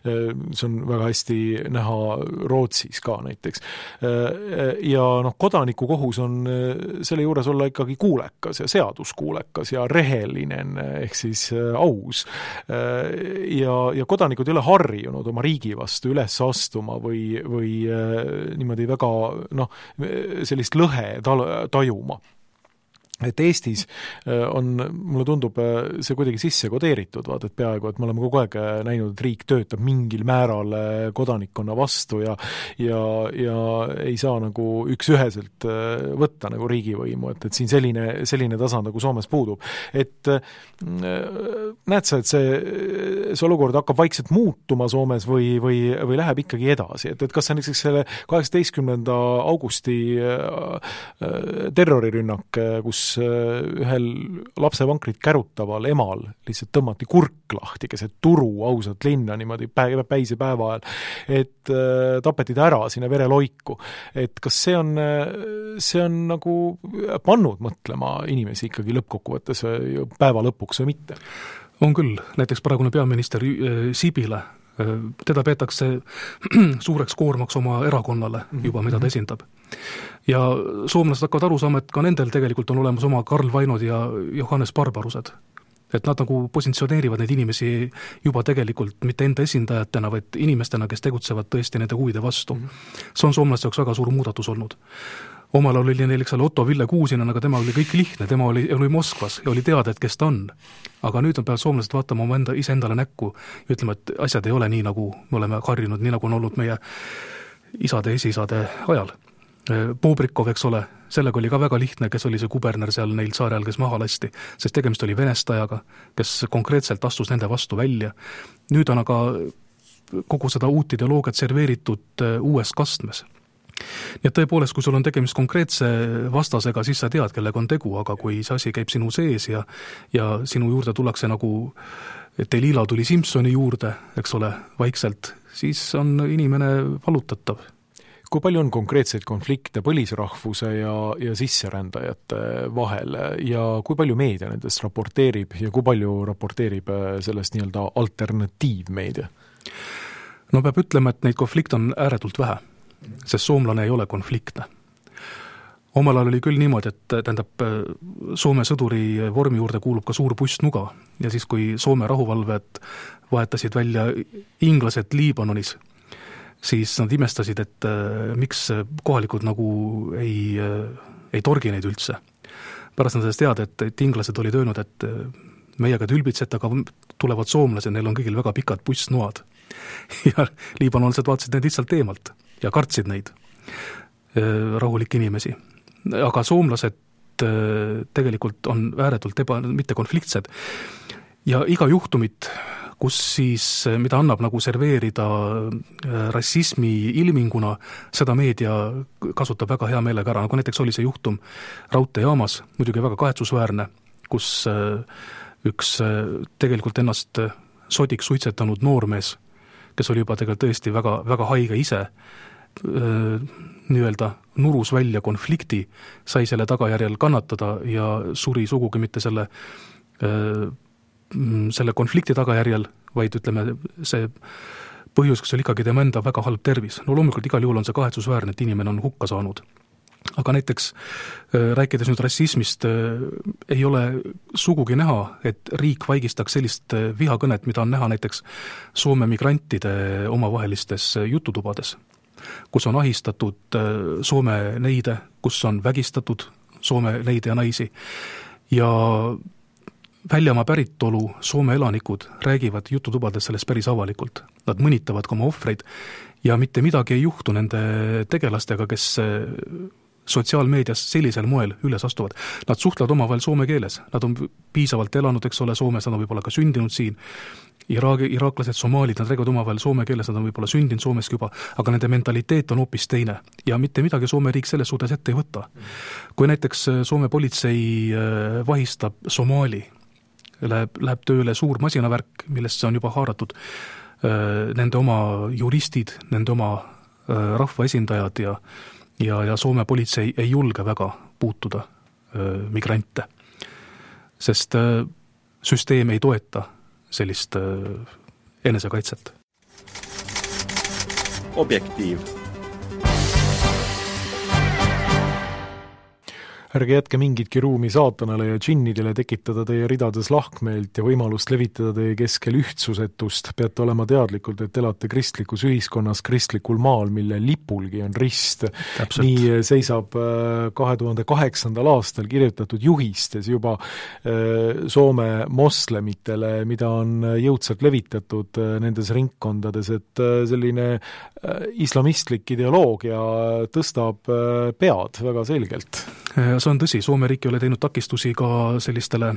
See on väga hästi näha Rootsis ka näiteks. Ja kodanikukohus on selle juures olla ikkagi kuulekas ja seaduskuulekas ja rehelinen ehk siis aus. Ja kodanikud ei ole harjunud oma riigi vastu üles astuma või niimoodi väga sellist lõhe tajuma. Et Eestis on, mulle tundub, see kuidagi sisse kodeeritud, et peaaegu, et me oleme kogu aeg näinud, et riik töötab mingil määral kodanikkonna vastu ja ei saa nagu üksüheselt võtta nagu riigivõimu, et siin selline tasand nagu Soomes puudub. Et näed sa, et see olukord hakkab vaikselt muutuma Soomes või läheb ikkagi edasi, et kas see näiteks selle 18. augusti terrorirünnak, kus ühel lapsevankrit kärutaval emal lihtsalt tõmmati kurk lahti keset turu ausalt linna niimoodi päise päeva ajal, et tapeti ta ära sinna vereloiku. Et kas see on nagu pannud mõtlema inimesi ikkagi lõppkokkuvõttes päeva lõpuks või mitte? On küll, näiteks praegune peaminister Sipilä, teda peetakse suureks koormaks oma erakonnale juba, mida ta esindab. Ja soomlased hakkavad aru saama, et ka nendel tegelikult on olemas oma Karl Vainod ja Johannes Barbarused. Et nad nagu positsioneerivad neid inimesi juba tegelikult mitte enda esindajatena, vaid inimestena, kes tegutsevad tõesti nende huvide vastu. See on soomlaste jaoks väga suur muudatus olnud. Omal oli neil Otto Ville Kuusinen, aga tema oli kõik lihtne, tema oli Moskvas ja oli teada, et kes ta on. Aga nüüd on peal soomlased vaatama oma iseendale näkku ja ütlema, et asjad ei ole nii, nagu me oleme harjunud, nii nagu on olnud meie isade ja esisade ajal. Bobrikov, eks ole, sellega oli ka väga lihtne, kes oli see kuberner seal neil saarel, kes maha lasti, sest tegemist oli venestajaga, kes konkreetselt astus nende vastu välja. Nüüd on aga kogu seda uut ideoloogiat serveeritud uues kastmes. Nii et tõepoolest, kui sul on tegemist konkreetse vastasega, siis sa tead, kellega on tegu, aga kui see asi käib sinu sees ja sinu juurde tullakse nagu Delila tuli Simpsoni juurde, eks ole, vaikselt, siis on inimene valutatav. Kui palju on konkreetseid konflikte põlisrahvuse ja sisserändajate vahel ja kui palju meedia nendest raporteerib ja kui palju raporteerib sellest nii-öelda alternatiivmeedia? No peab ütlema, et neid konflikte on ääretult vähe, sest soomlane ei ole konfliktne. Omal ajal oli küll niimoodi, et tähendab, Soome sõduri vormi juurde kuulub ka suur pustnuga ja siis, kui Soome rahuvalved vahetasid välja inglased Liibanonis, siis nad imestasid, et miks kohalikud nagu ei torgi neid üldse. Pärast nad sellest teada, et inglased olid öelnud, et meiega tülbitsete, aga tulevad soomlased, neil on kõigil väga pikad pussnoad. Ja liibanonsed vaatasid neid lihtsalt eemalt ja kartsid neid rahulikke inimesi. Aga soomlased tegelikult on ääretult mitte konfliktsed ja iga juhtumit, kus siis, mida annab nagu serveerida rassismi ilminguna, seda meedia kasutab väga hea meelega ära, nagu näiteks oli see juhtum raudteejaamas, muidugi väga kahetsusväärne, kus üks tegelikult ennast sodiks suitsetanud noormees, kes oli juba tegelikult tõesti väga, väga haige ise, nii-öelda nurus välja konflikti, sai selle tagajärjel kannatada ja suri sugugi mitte selle konflikti tagajärjel, vaid ütleme, see põhjus, kas oli ikkagi tema enda väga halb tervis. No loomulikult igal juhul on see kahetsusväärne, et inimene on hukka saanud. Aga näiteks rääkides nüüd rassismist, ei ole sugugi näha, et riik vaigistaks sellist vihakõnet, mida on näha näiteks Soome migrantide omavahelistes jututubades, kus on ahistatud Soome neide, kus on vägistatud Soome neide ja naisi ja väljamaa päritolu Soome elanikud räägivad jututubades sellest päris avalikult. Nad mõnitavad ka oma ohvreid ja mitte midagi ei juhtu nende tegelastega, kes sotsiaalmeedias sellisel moel üles astuvad. Nad suhtlevad omavahel soome keeles, nad on piisavalt elanud, eks ole, Soomes, nad on võib-olla ka sündinud siin. Iraaklased, somaalid, nad räägivad omavahel soome keeles, nad on võib-olla sündinud Soomeski juba, aga nende mentaliteet on hoopis teine. Ja mitte midagi Soome riik selles suhtes ette ei võta. Kui näiteks Soome politsei vahistab Somaali, läheb tööle suur masinavärk, millest see on juba haaratud, nende oma juristid, nende oma rahvaesindajad ja Soome politsei ei julge väga puutuda migrante, sest süsteem ei toeta sellist enesekaitset. Objektiiv. Ärge jätke mingitki ruumi saatanale ja džinnidele tekitada teie ridades lahkmeelt ja võimalust levitada teie keskel ühtsusetust. Peate olema teadlikult, et elate kristlikus ühiskonnas, kristlikul maal, mille lipulgi on rist. Täpselt. Nii seisab 2008. aastal kirjutatud juhistes juba Soome moslemitele, mida on jõudsalt levitatud nendes ringkondades, et selline islamistlik ideoloogia tõstab pead väga selgelt. See on tõsi, Soome riik ei ole teinud takistusi ka sellistele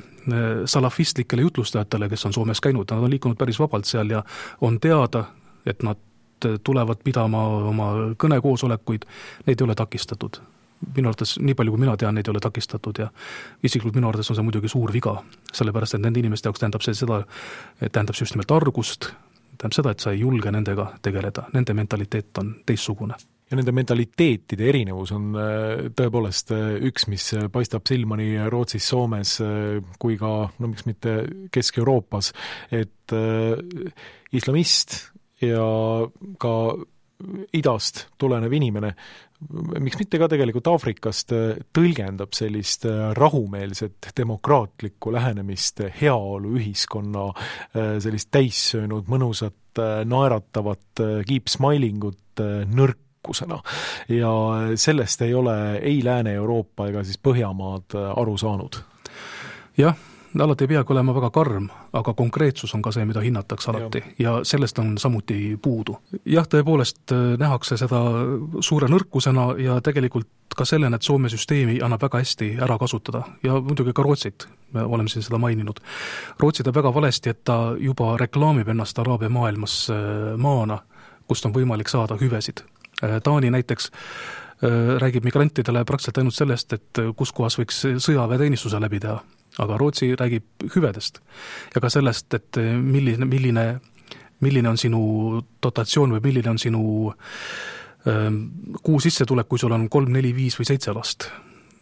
salafistlikele jutlustajatele, kes on Soomes käinud, nad on liikunud päris vabalt seal ja on teada, et nad tulevad pidama oma kõnekoosolekuid, neid ei ole takistatud. Minu arvates, nii palju kui mina tean, neid ei ole takistatud ja isiklikult minu arvates on see muidugi suur viga, sellepärast et nende inimeste jaoks tähendab see seda, tähendab just nimelt argust, tähendab seda, et sa ei julge nendega tegeleda, nende mentaliteet on teistsugune. Ja nende mentaliteetide erinevus on tõepoolest üks, mis paistab silma nii Rootsis, Soomes kui ka, no miks mitte Kesk-Euroopas, et islamist ja ka idast tulenev inimene, miks mitte ka tegelikult Aafrikast, tõlgendab sellist rahumeelset demokraatlikku lähenemist heaolu ühiskonna, sellist täissöönud, mõnusat, naeratavat keep-smilingut nõrkusena. Ja sellest ei ole ei Lääne-Euroopa ega siis Põhjamaad aru saanud. Jah, alati ei peagi olema väga karm, aga konkreetsus on ka see, mida hinnatakse alati ja sellest on samuti puudu. Jah, tõepoolest nähakse seda suure nõrkusena ja tegelikult ka sellena, et Soome süsteemi annab väga hästi ära kasutada ja muidugi ka Rootsit, me oleme siin seda maininud. Rootsi teeb väga valesti, et ta juba reklaamib ennast Araabia maailmas maana, kust on võimalik saada hüvesid. Taani näiteks räägib migrantidele praktiliselt ainult sellest, et kus kohas võiks sõjaväeteenistuse läbi teha. Aga Rootsi räägib hüvedest ja ka sellest, et milline on sinu dotatsioon või milline on sinu kuu sissetulek, kui sul on 3, 4, 5 või 7 last.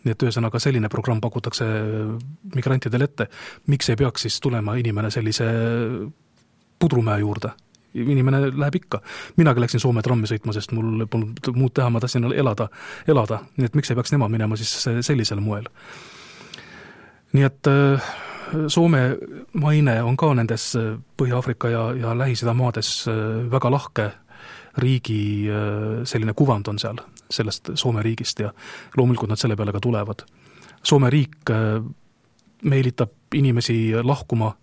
Nii et ühesõnaga selline programm pakutakse migrantidele ette. Miks ei peaks siis tulema inimene sellise pudrumäe juurde? Inimene läheb ikka. Minagi läksin Soome trammi sõitma, sest mul polnud muud teha, ma tahtsin elada. Nii et miks ei peaks nemad minema siis sellisel moel? Nii et Soome maine on ka nendes Põhja-Afrika ja Lähis-Ida maades väga lahke riigi selline kuvand on seal, sellest Soome riigist ja loomulikult nad selle peale ka tulevad. Soome riik meelitab inimesi lahkuma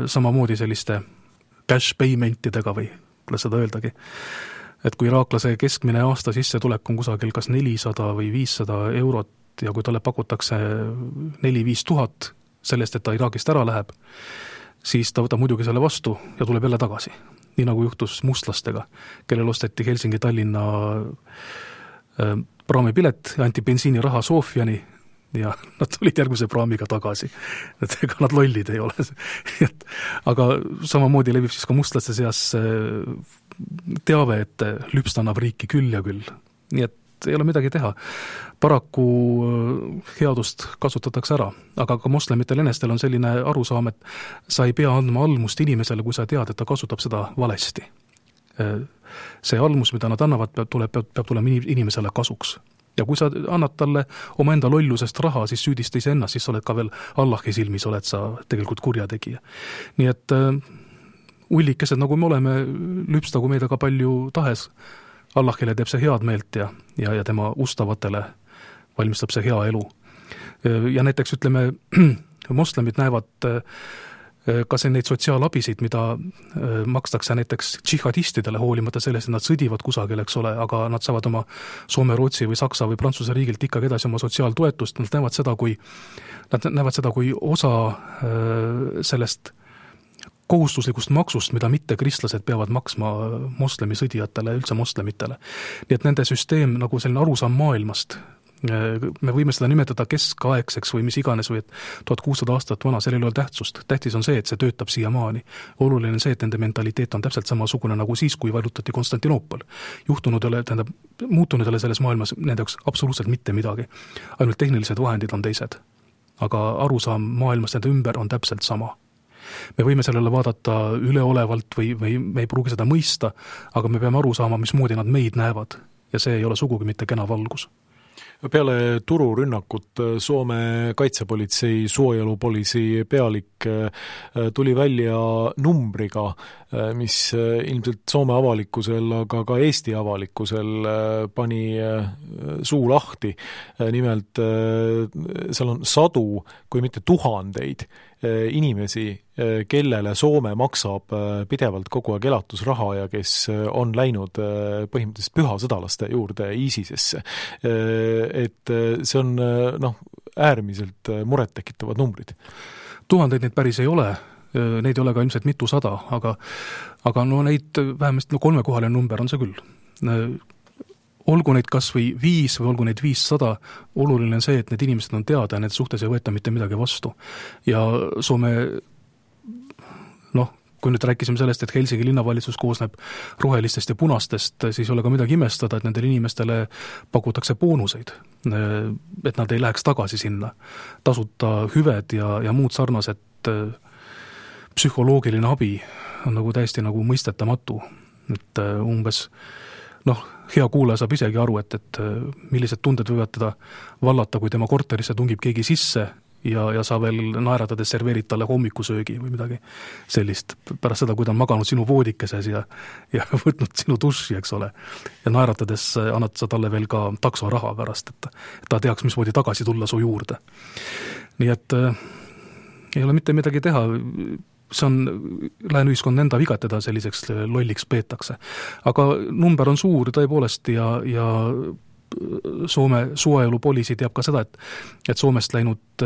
samamoodi selliste cash paymentidega või kuidas seda öeldagi. Et kui iraaklase keskmine aasta sissetulek on kusagil kas 400 või 500 eurot ja kui talle pakutakse 4-5 tuhat sellest, et ta Iraagist ära läheb, siis ta võtab muidugi selle vastu ja tuleb jälle tagasi. Nii nagu juhtus mustlastega, kellel osteti Helsingi-Tallinna praamipilet ja anti bensiiniraha Sofiani ja nad tulid järgmise praamiga tagasi. Et ega nad lollid ei ole. Aga samamoodi levib siis ka mustlaste seas teave, et lüpst annab riiki küll ja küll. Nii et ei ole midagi teha. Paraku headust kasutatakse ära, aga ka moslemitel enestel on selline arusaam, et sa ei pea andma almust inimesele, kui sa tead, et ta kasutab seda valesti. See almus, mida nad annavad, peab tulema inimesele kasuks. Ja kui sa annad talle oma enda lollusest raha, siis süüdista ise ennast, siis oled ka veel Allahi silmis, oled sa tegelikult kurjategija. Nii et ullikesed, nagu me oleme, lüpstagu meid aga palju tahes, Allahile teeb see head meelt ja tema ustavatele valmistab see hea elu. Ja näiteks ütleme, moslemid näevad kas neid sotsiaalabisid, mida makstakse näiteks džihadistidele, hoolimata sellest, et nad sõdivad kusagil, eks ole, aga nad saavad oma Soome, Rootsi või Saksa või Prantsuse riigilt ikkagi edasi oma sotsiaaltoetust, nad näevad seda kui osa sellest kohustuslikust maksust, mida mittekristlased peavad maksma moslemi sõdijatele, üldse moslemitele. Nii et nende süsteem nagu selline arusaam maailmast, me võime seda nimetada keskaegseks või mis iganes või et 1600 aastat vana, sellel ei ole tähtsust. Tähtis on see, et see töötab siiamaani. Oluline on see, et nende mentaliteet on täpselt samasugune nagu siis, kui vallutati Konstantinoopol. Muutunud ei ole selles maailmas nende jaoks absoluutselt mitte midagi. Ainult tehnilised vahendid on teised. Aga arusaam maailmast nende ümber on täpselt sama. Me võime sellele vaadata üleolevalt või me ei pruugi seda mõista, aga me peame aru saama, mismoodi nad meid näevad. Ja see ei ole sugugi mitte kena valgus. Peale tururünnakut Soome kaitsepolitsei suojelupoliisi pealik tuli välja numbriga, mis ilmselt Soome avalikkusel, aga ka Eesti avalikkusel pani suu lahti. Nimelt seal on sadu, kui mitte tuhandeid inimesi, kellele Soome maksab pidevalt kogu aeg elatusraha ja kes on läinud põhimõtteliselt pühasõdalaste juurde ISISesse. Et see on äärmiselt murettekitavad numbrid. Tuhandeid neid päris ei ole, neid ei ole ka ilmselt mitusada, aga neid vähemasti 3-kohaline number on see küll. Olgu neid kas või 5 või olgu neid 500, oluline on see, et need inimesed on teada ja need suhtes ei võeta mitte midagi vastu. Ja Soome, kui nüüd rääkisime sellest, et Helsingi linnavalitsus koosneb rohelistest ja punastest, siis ei ole ka midagi imestada, et nendele inimestele pakutakse boonuseid, et nad ei läheks tagasi sinna. Tasuta hüved ja muud sarnased psühholoogiline abi on nagu täiesti nagu mõistetamatu. Et umbes, hea kuulaja saab isegi aru, et millised tunded võivad teda vallata, kui tema korterisse tungib keegi sisse ja sa veel naeratades serveerid talle hommikusöögi või midagi sellist. Pärast seda, kui ta on maganud sinu voodikeses ja võtnud sinu duši, eks ole. Ja naeratades annad sa talle veel ka taksoraha pärast, et ta teaks, mismoodi tagasi tulla su juurde. Nii et ei ole mitte midagi teha. See on lääne ühiskond enda viga, teda selliseks lolliks peetakse. Aga number on suur tõepoolest ja Soome suojelupoliisi teab ka seda, et Soomest läinud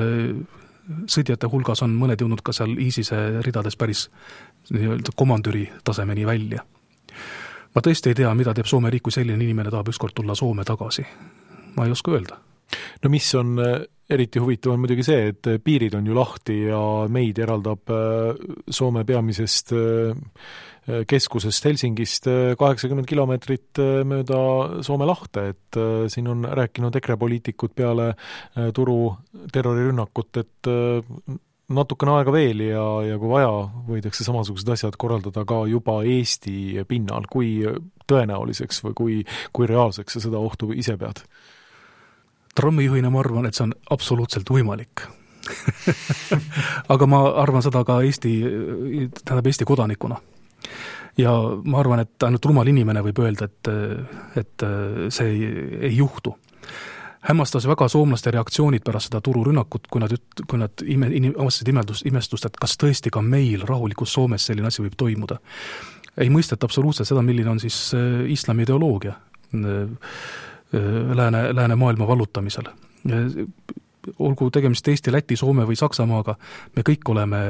sõdjate hulgas on mõned jõudnud ka seal ISISe ridades päris komandüri tasemeni välja. Ma tõesti ei tea, mida teeb Soome riik, kui selline inimene tahab ükskord tulla Soome tagasi. Ma ei oska öelda. Mis on eriti huvitav on muidugi see, et piirid on ju lahti ja meid eraldab Soome peamisest keskusest Helsingist 80 kilomeetrit mööda Soome lahte, et siin on rääkinud EKRE poliitikud peale turu terrorirünnakut, et natukene aega veel ja kui vaja, võidakse samasugused asjad korraldada ka juba Eesti pinnal, kui tõenäoliseks või kui reaalseks sa seda ohtu ise pead? Trammijuhina ma arvan, et see on absoluutselt võimalik. Aga ma arvan seda ka Eesti kodanikuna. Ja ma arvan, et ainult rumal inimene võib öelda, et see ei juhtu. Hämmastas väga soomlaste reaktsioonid pärast seda tururünnakut, kui nad avastasid imestust, et kas tõesti ka meil rahulikus Soomes selline asi võib toimuda. Ei mõisteta absoluutselt seda, milline on siis islami ideoloogia lääne maailma vallutamisel. Olgu tegemist Eesti, Läti, Soome või Saksamaaga, me kõik oleme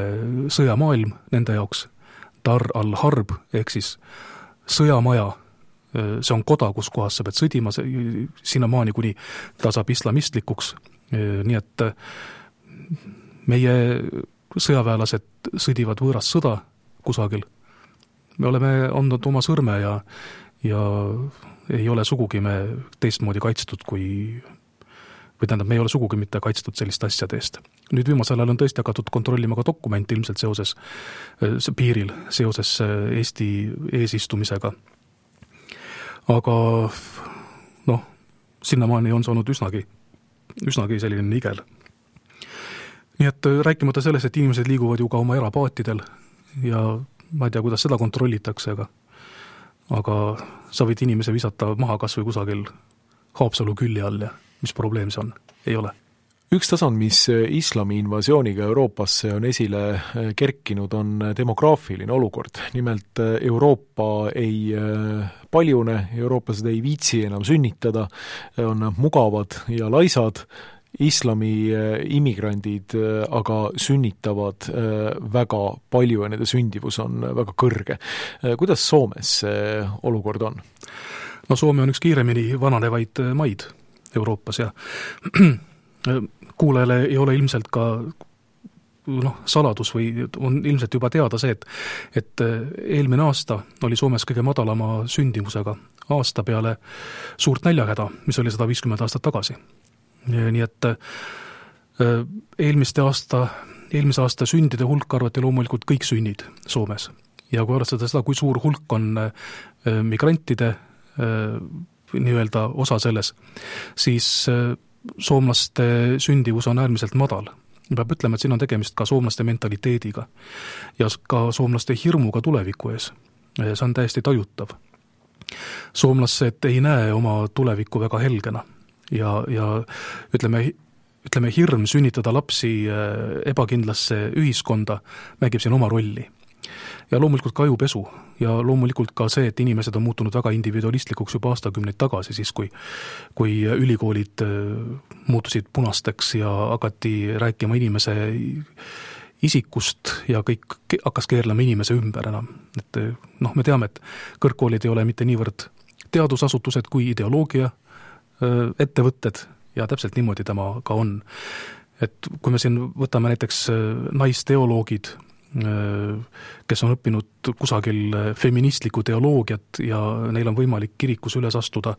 sõjamaailm nende jaoks. Dar al-Harb, ehk siis sõjamaja, see on koda, kus kohas sa pead sõdima sinnamaani, kuni ta saab islamistlikuks. Nii et meie sõjaväelased sõdivad võõras sõda kusagil. Me oleme andnud oma sõrme ja ei ole sugugi me teistmoodi kaitstud me ei ole sugugi mitte kaitstud selliste asjade eest. Nüüd viimasel ajal on tõesti hakatud kontrollima ka dokumente ilmselt seoses piiril, seoses Eesti eesistumisega. Aga sinnamaani on saanud üsnagi selline nigel. Nii et rääkimata sellest, et inimesed liiguvad ju ka oma erapaatidel ja ma ei tea, kuidas seda kontrollitakse, aga sa võid inimese visata maha kas või kusagil Haapsalu külje all ja mis probleem see on? Ei ole. Üks tasand, mis islami invasiooniga Euroopasse on esile kerkinud, on demograafiline olukord. Nimelt Euroopa ei paljune, eurooplased ei viitsi enam sünnitada, on mugavad ja laisad, islami immigrandid aga sünnitavad väga palju ja nende sündivus on väga kõrge. Kuidas Soomes see olukord on? No Soome on üks kiiremini vananevaid maid Euroopas ja kuulajale ei ole ilmselt ka saladus või on ilmselt juba teada see, et eelmine aasta oli Soomes kõige madalama sündimusega aasta peale suurt näljahäda, mis oli 150 aastat tagasi. Nii et eelmise aasta sündide hulk arvati loomulikult kõik sünnid Soomes. Ja kui arvestada seda, kui suur hulk on migrantide nii-öelda osa selles, siis soomlaste sündivus on äärmiselt madal. Peab ütlema, et siin on tegemist ka soomlaste mentaliteediga ja ka soomlaste hirmuga tuleviku ees. See on täiesti tajutav. Soomlased ei näe oma tulevikku väga helgena ja ütleme hirm sünnitada lapsi ebakindlasse ühiskonda mängib siin oma rolli. Ja loomulikult ka ajupesu ja loomulikult ka see, et inimesed on muutunud väga individualistlikuks juba aastakümneid tagasi, siis kui ülikoolid muutusid punasteks ja hakati rääkima inimese isikust ja kõik hakkas keerlema inimese ümber enam. Et me teame, et kõrgkoolid ei ole mitte niivõrd teadusasutused kui ideoloogia ettevõtted ja täpselt niimoodi tema ka on. Et kui me siin võtame näiteks naisteoloogid, kes on õppinud kusagil feministlikku teoloogiat ja neil on võimalik kirikus üles astuda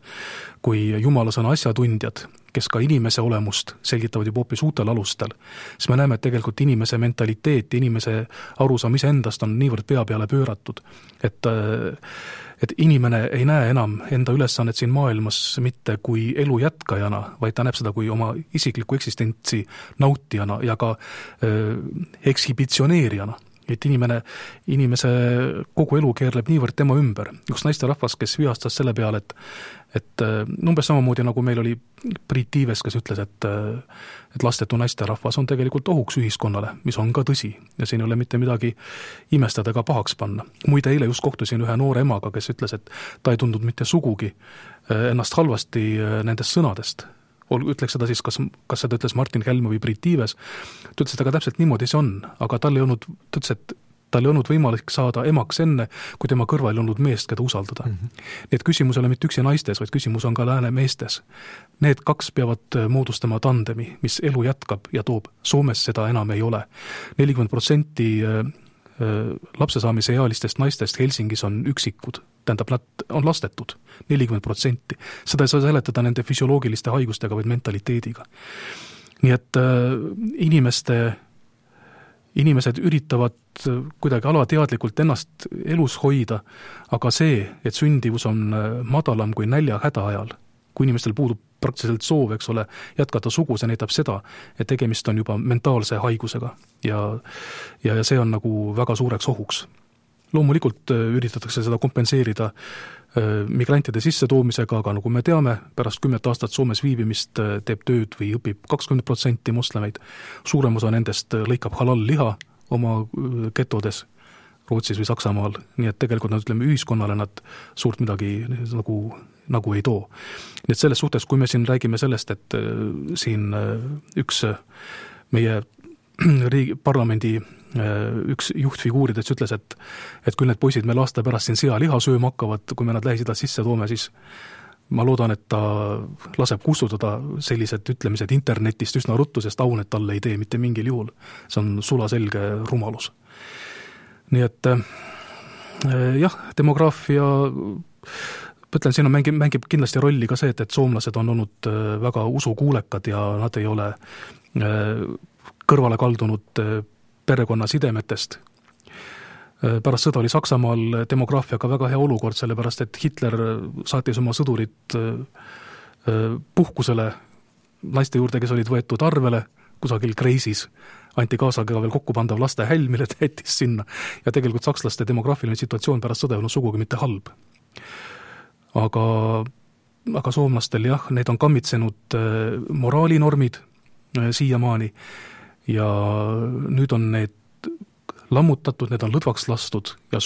kui jumalasõna asjatundjad, kes ka inimese olemust selgitavad juba hoopis uutel alustel, siis me näeme, et tegelikult inimese mentaliteet, inimese arusaam iseendast on niivõrd pea peale pööratud, et inimene ei näe enam enda ülesannet siin maailmas mitte kui elu jätkajana, vaid ta näeb seda kui oma isikliku eksistentsi nautijana ja ka ekshibitsioneerijana. Et inimese kogu elu keerleb niivõrd tema ümber. Üks naisterahvas, kes vihastas selle peale, et umbes samamoodi nagu meil oli Priit Tiives, kes ütles, et lastetu naisterahvas on tegelikult ohuks ühiskonnale, mis on ka tõsi ja siin ei ole mitte midagi imestada ega pahaks panna. Muide, eile just kohtusin ühe noore emaga, kes ütles, et ta ei tundnud mitte sugugi ennast halvasti nendest sõnadest. Ütleks seda siis, kas seda ütles Martin Helme või Priit Tiives, ta ütles, et aga täpselt niimoodi see on, aga tal ei olnud võimalik saada emaks enne, kui tema kõrval ei olnud meest, keda usaldada. Nii et küsimus ei ole mitte üksi naistes, vaid küsimus on ka lääne meestes. Need kaks peavad moodustama tandemi, mis elu jätkab ja toob. Soomes seda enam ei ole. 40% lapsesaamise ealistest naistest Helsingis on üksikud, tähendab, nad on lastetud, 40%. Seda ei saa seletada nende füsioloogiliste haigustega, vaid mentaliteediga. Nii et inimesed üritavad kuidagi alateadlikult ennast elus hoida, aga see, et sündivus on madalam kui näljahäda ajal, kui inimestel puudub praktiliselt soov, eks ole, jätkata sugu, see näitab seda, et tegemist on juba mentaalse haigusega ja see on nagu väga suureks ohuks. Loomulikult üritatakse seda kompenseerida migrantide sissetoomisega, aga nagu me teame, pärast 10 aastat Soomes viibimist teeb tööd või õpib 20% moslemeid. Suurem osa nendest lõikab halal-liha oma getodes Rootsis või Saksamaal, nii et tegelikult nad ütleme ühiskonnale nad suurt midagi nagu ei too. Nii et selles suhtes, kui me siin räägime sellest, et siin üks meie parlamendi üks juhtfiguuridest ütles, et küll need poisid meil aasta pärast siin sealiha sööma hakkavad, kui me nad Lähis-Idast sisse toome, siis ma loodan, et ta laseb kustutada sellised ütlemised internetist üsna ruttu, sest aunet talle ei tee mitte mingil juhul. See on sulaselge rumalus. Nii et jah, demograafia, ütlen, siin mängib kindlasti rolli ka see, et soomlased on olnud väga usukuulekad ja nad ei ole kõrvale kaldunud perekonna sidemetest. Pärast sõda oli Saksamaal demograafiaga väga hea olukord, sellepärast et Hitler saatis oma sõdurid puhkusele naiste juurde, kes olid võetud arvele kusagil Kreisis, anti kaasa ka veel kokkupandav laste häll, mille täitis sinna ja tegelikult sakslaste demograafiline situatsioon pärast sõda ei olnud sugugi mitte halb. Aga soomlastel jah, need on kammitsenud moraalinormid siiamaani ja nüüd on need lammutatud, need on lõdvaks lastud ja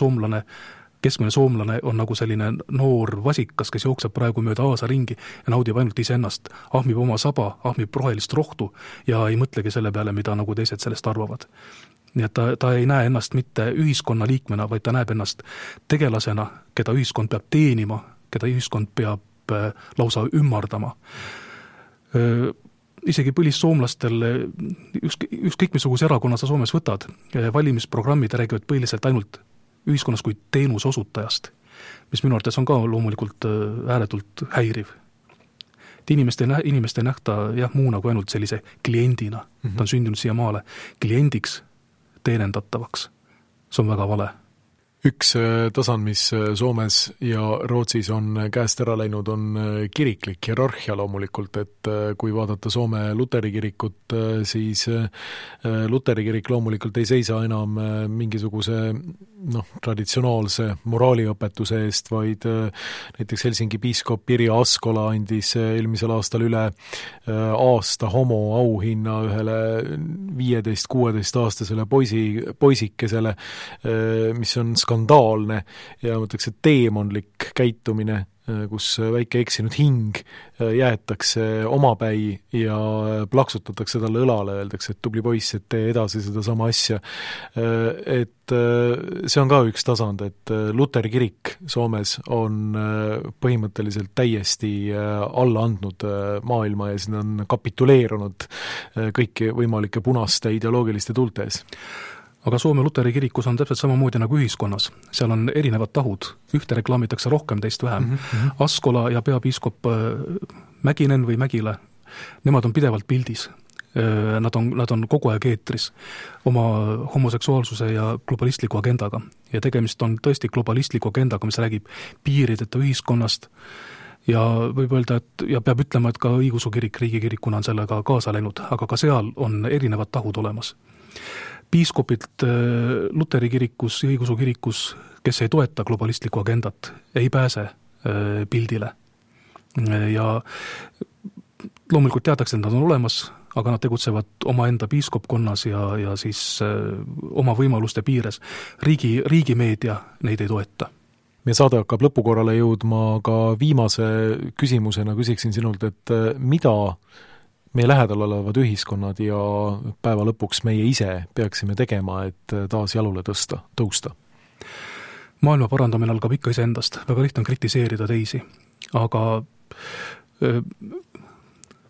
keskmine soomlane on nagu selline noor vasikas, kes jookseb praegu mööda aasa ringi ja naudib ainult iseennast, ahmib oma saba, ahmib rohelist rohtu ja ei mõtlegi selle peale, mida nagu teised sellest arvavad. Nii et ta ei näe ennast mitte ühiskonna liikmena, vaid ta näeb ennast tegelasena, keda ühiskond peab teenima, keda ühiskond peab lausa ümmardama. Isegi põlissoomlastel, ükskõik missuguse erakonna sa Soomes võtad, valimisprogrammid räägivad põhiliselt ainult ühiskonnas kui teenuse osutajast, mis minu arvates on ka loomulikult ääretult häiriv. Et inimest ei nähta muuna kui ainult sellise kliendina. Ta on sündinud siia maale kliendiks teenendatavaks. See on väga vale. Üks tasand, mis Soomes ja Rootsis on käest ära läinud, on kiriklik hierarhia loomulikult, et kui vaadata Soome Luteri kirikut, siis Luteri kirik loomulikult ei seisa enam mingisuguse traditsionaalse moraaliõpetuse eest, vaid näiteks Helsingi piiskop Pirjo Askola andis eelmisel aastal üle aasta homo auhinna ühele 15-16-aastasele poisikesele, mis on skandaalne ja mõtleks, et teemonlik käitumine, kus väike eksinud hing jäetakse omapäi ja plaksutatakse talle õlale, öeldakse, et tubli poiss, et tee edasi seda sama asja. Et see on ka üks tasand, et Luteri kirik Soomes on põhimõtteliselt täiesti alla andnud maailma ja siin on kapituleerunud kõiki võimalike punaste ideoloogiliste tuulte ees. Aga Soome Luteri kirikus on täpselt samamoodi nagu ühiskonnas. Seal on erinevad tahud. Ühte reklaamitakse rohkem, teist vähem. Askola ja peapiiskop Mäkinen või Mägile, nemad on pidevalt pildis. Nad on kogu aeg eetris oma homoseksuaalsuse ja globalistliku agendaga. Ja tegemist on tõesti globalistliku agendaga, mis räägib piirideta ühiskonnast. Ja võib öelda, ja peab ütlema, et ka õigeusu kirik riigikirikuna on sellega kaasa läinud, aga ka seal on erinevad tahud olemas. Piiskopilt Luteri kirikus ja õigeusu kirikus, kes ei toeta globalistlikku agendat, ei pääse pildile. Ja loomulikult teatakse, et nad on olemas, aga nad tegutsevad omaenda piiskopkonnas ja siis oma võimaluste piires. Riigimeedia neid ei toeta. Meie saade hakkab lõpukorrale jõudma, ka viimase küsimusena küsiksin sinult, et mida meie lähedal olevad ühiskonnad ja päeva lõpuks meie ise peaksime tegema, et taas jalule tõusta? Maailma parandamine algab ikka iseendast. Väga lihtne on kritiseerida teisi, aga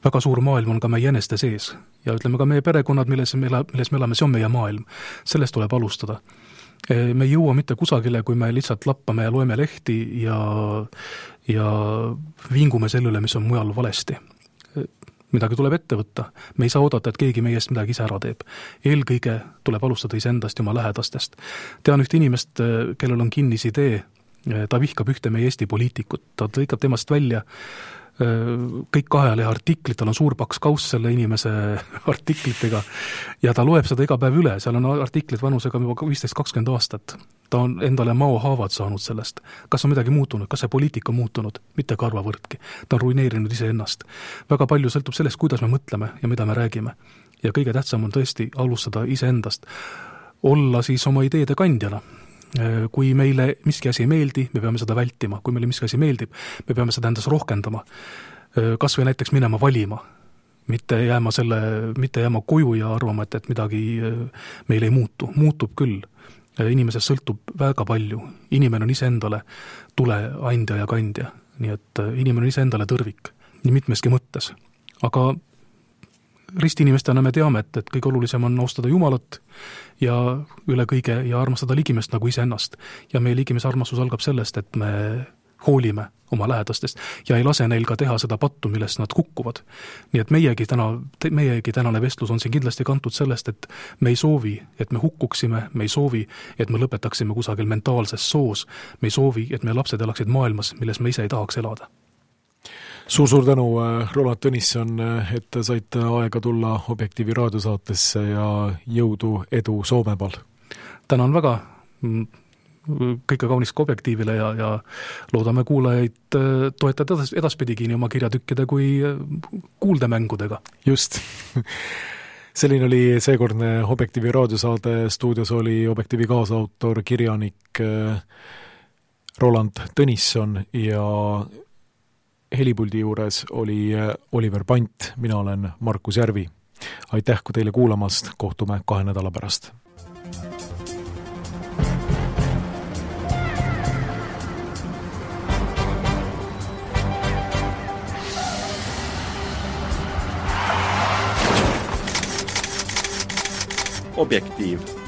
väga suur maailm on ka meie eneste sees. Ja ütleme ka meie perekonnad, milles me elame, see on meie maailm. Sellest tuleb alustada. Me ei jõua mitte kusagile, kui me lihtsalt lappame ja loeme lehti ja vingume selle üle, mis on mujal valesti. Midagi tuleb ette võtta. Me ei saa oodata, et keegi meie eest midagi ise ära teeb. Eelkõige tuleb alustada iseendast ja oma lähedastest. Tean ühte inimest, kellel on kinnis idee, ta vihkab ühte meie Eesti poliitikut, ta lõikab temast välja kõik 2 lehe artiklit, tal on suur paks kauss selle inimese artiklitega ja ta loeb seda iga päev üle, seal on artiklid vanusega juba 15-20 aastat. Ta on endale maohaavad saanud sellest. Kas on midagi muutunud? Kas see poliitika on muutunud? Mitte karvavõrdki. Ta on ruineerinud iseennast. Väga palju sõltub sellest, kuidas me mõtleme ja mida me räägime. Ja kõige tähtsam on tõesti alustada iseendast. Olla siis oma ideede kandjana. Kui meile miski asi ei meeldi, me peame seda vältima. Kui meile miski asi meeldib, me peame seda endas rohkendama. Kas või näiteks minema valima. Mitte jääma koju ja arvama, et midagi meil ei muutu. Muutub küll. Inimesest sõltub väga palju. Inimene on iseendale tuleandja ja kandja. Nii et inimene on iseendale tõrvik. Nii mitmeski mõttes. Aga ristinimestena me teame, et kõige olulisem on austada Jumalat ja üle kõige ja armastada ligimest nagu iseennast. Ja meie ligimes armastus algab sellest, et me hoolime oma lähedastest ja ei lase neil ka teha seda pattu, millest nad kukkuvad. Nii et meiegi tänane vestlus on siin kindlasti kantud sellest, et me ei soovi, et me hukkuksime, me ei soovi, et me lõpetaksime kusagil mentaalses soos, me ei soovi, et meie lapsed elaksid maailmas, milles me ise ei tahaks elada. Suur tänu, Roland Tõnisson, et saite aega tulla Objektiivi raadiosaatesse ja jõudu, edu Soomemal. Tänan väga. kõike kaunist ka Objektiivile ja loodame kuulajaid toetada edaspidigi nii oma kirjatükkide kui kuuldemängudega. Just. Selline oli seekordne Objektiivi raadiosaade, stuudios oli Objektiivi kaasautor, kirjanik Roland Tõnisson ja helipuldi juures oli Oliver Pant, mina olen Markus Järvi. Aitäh kui teile kuulamast, kohtume 2 nädala pärast. Objektiiv.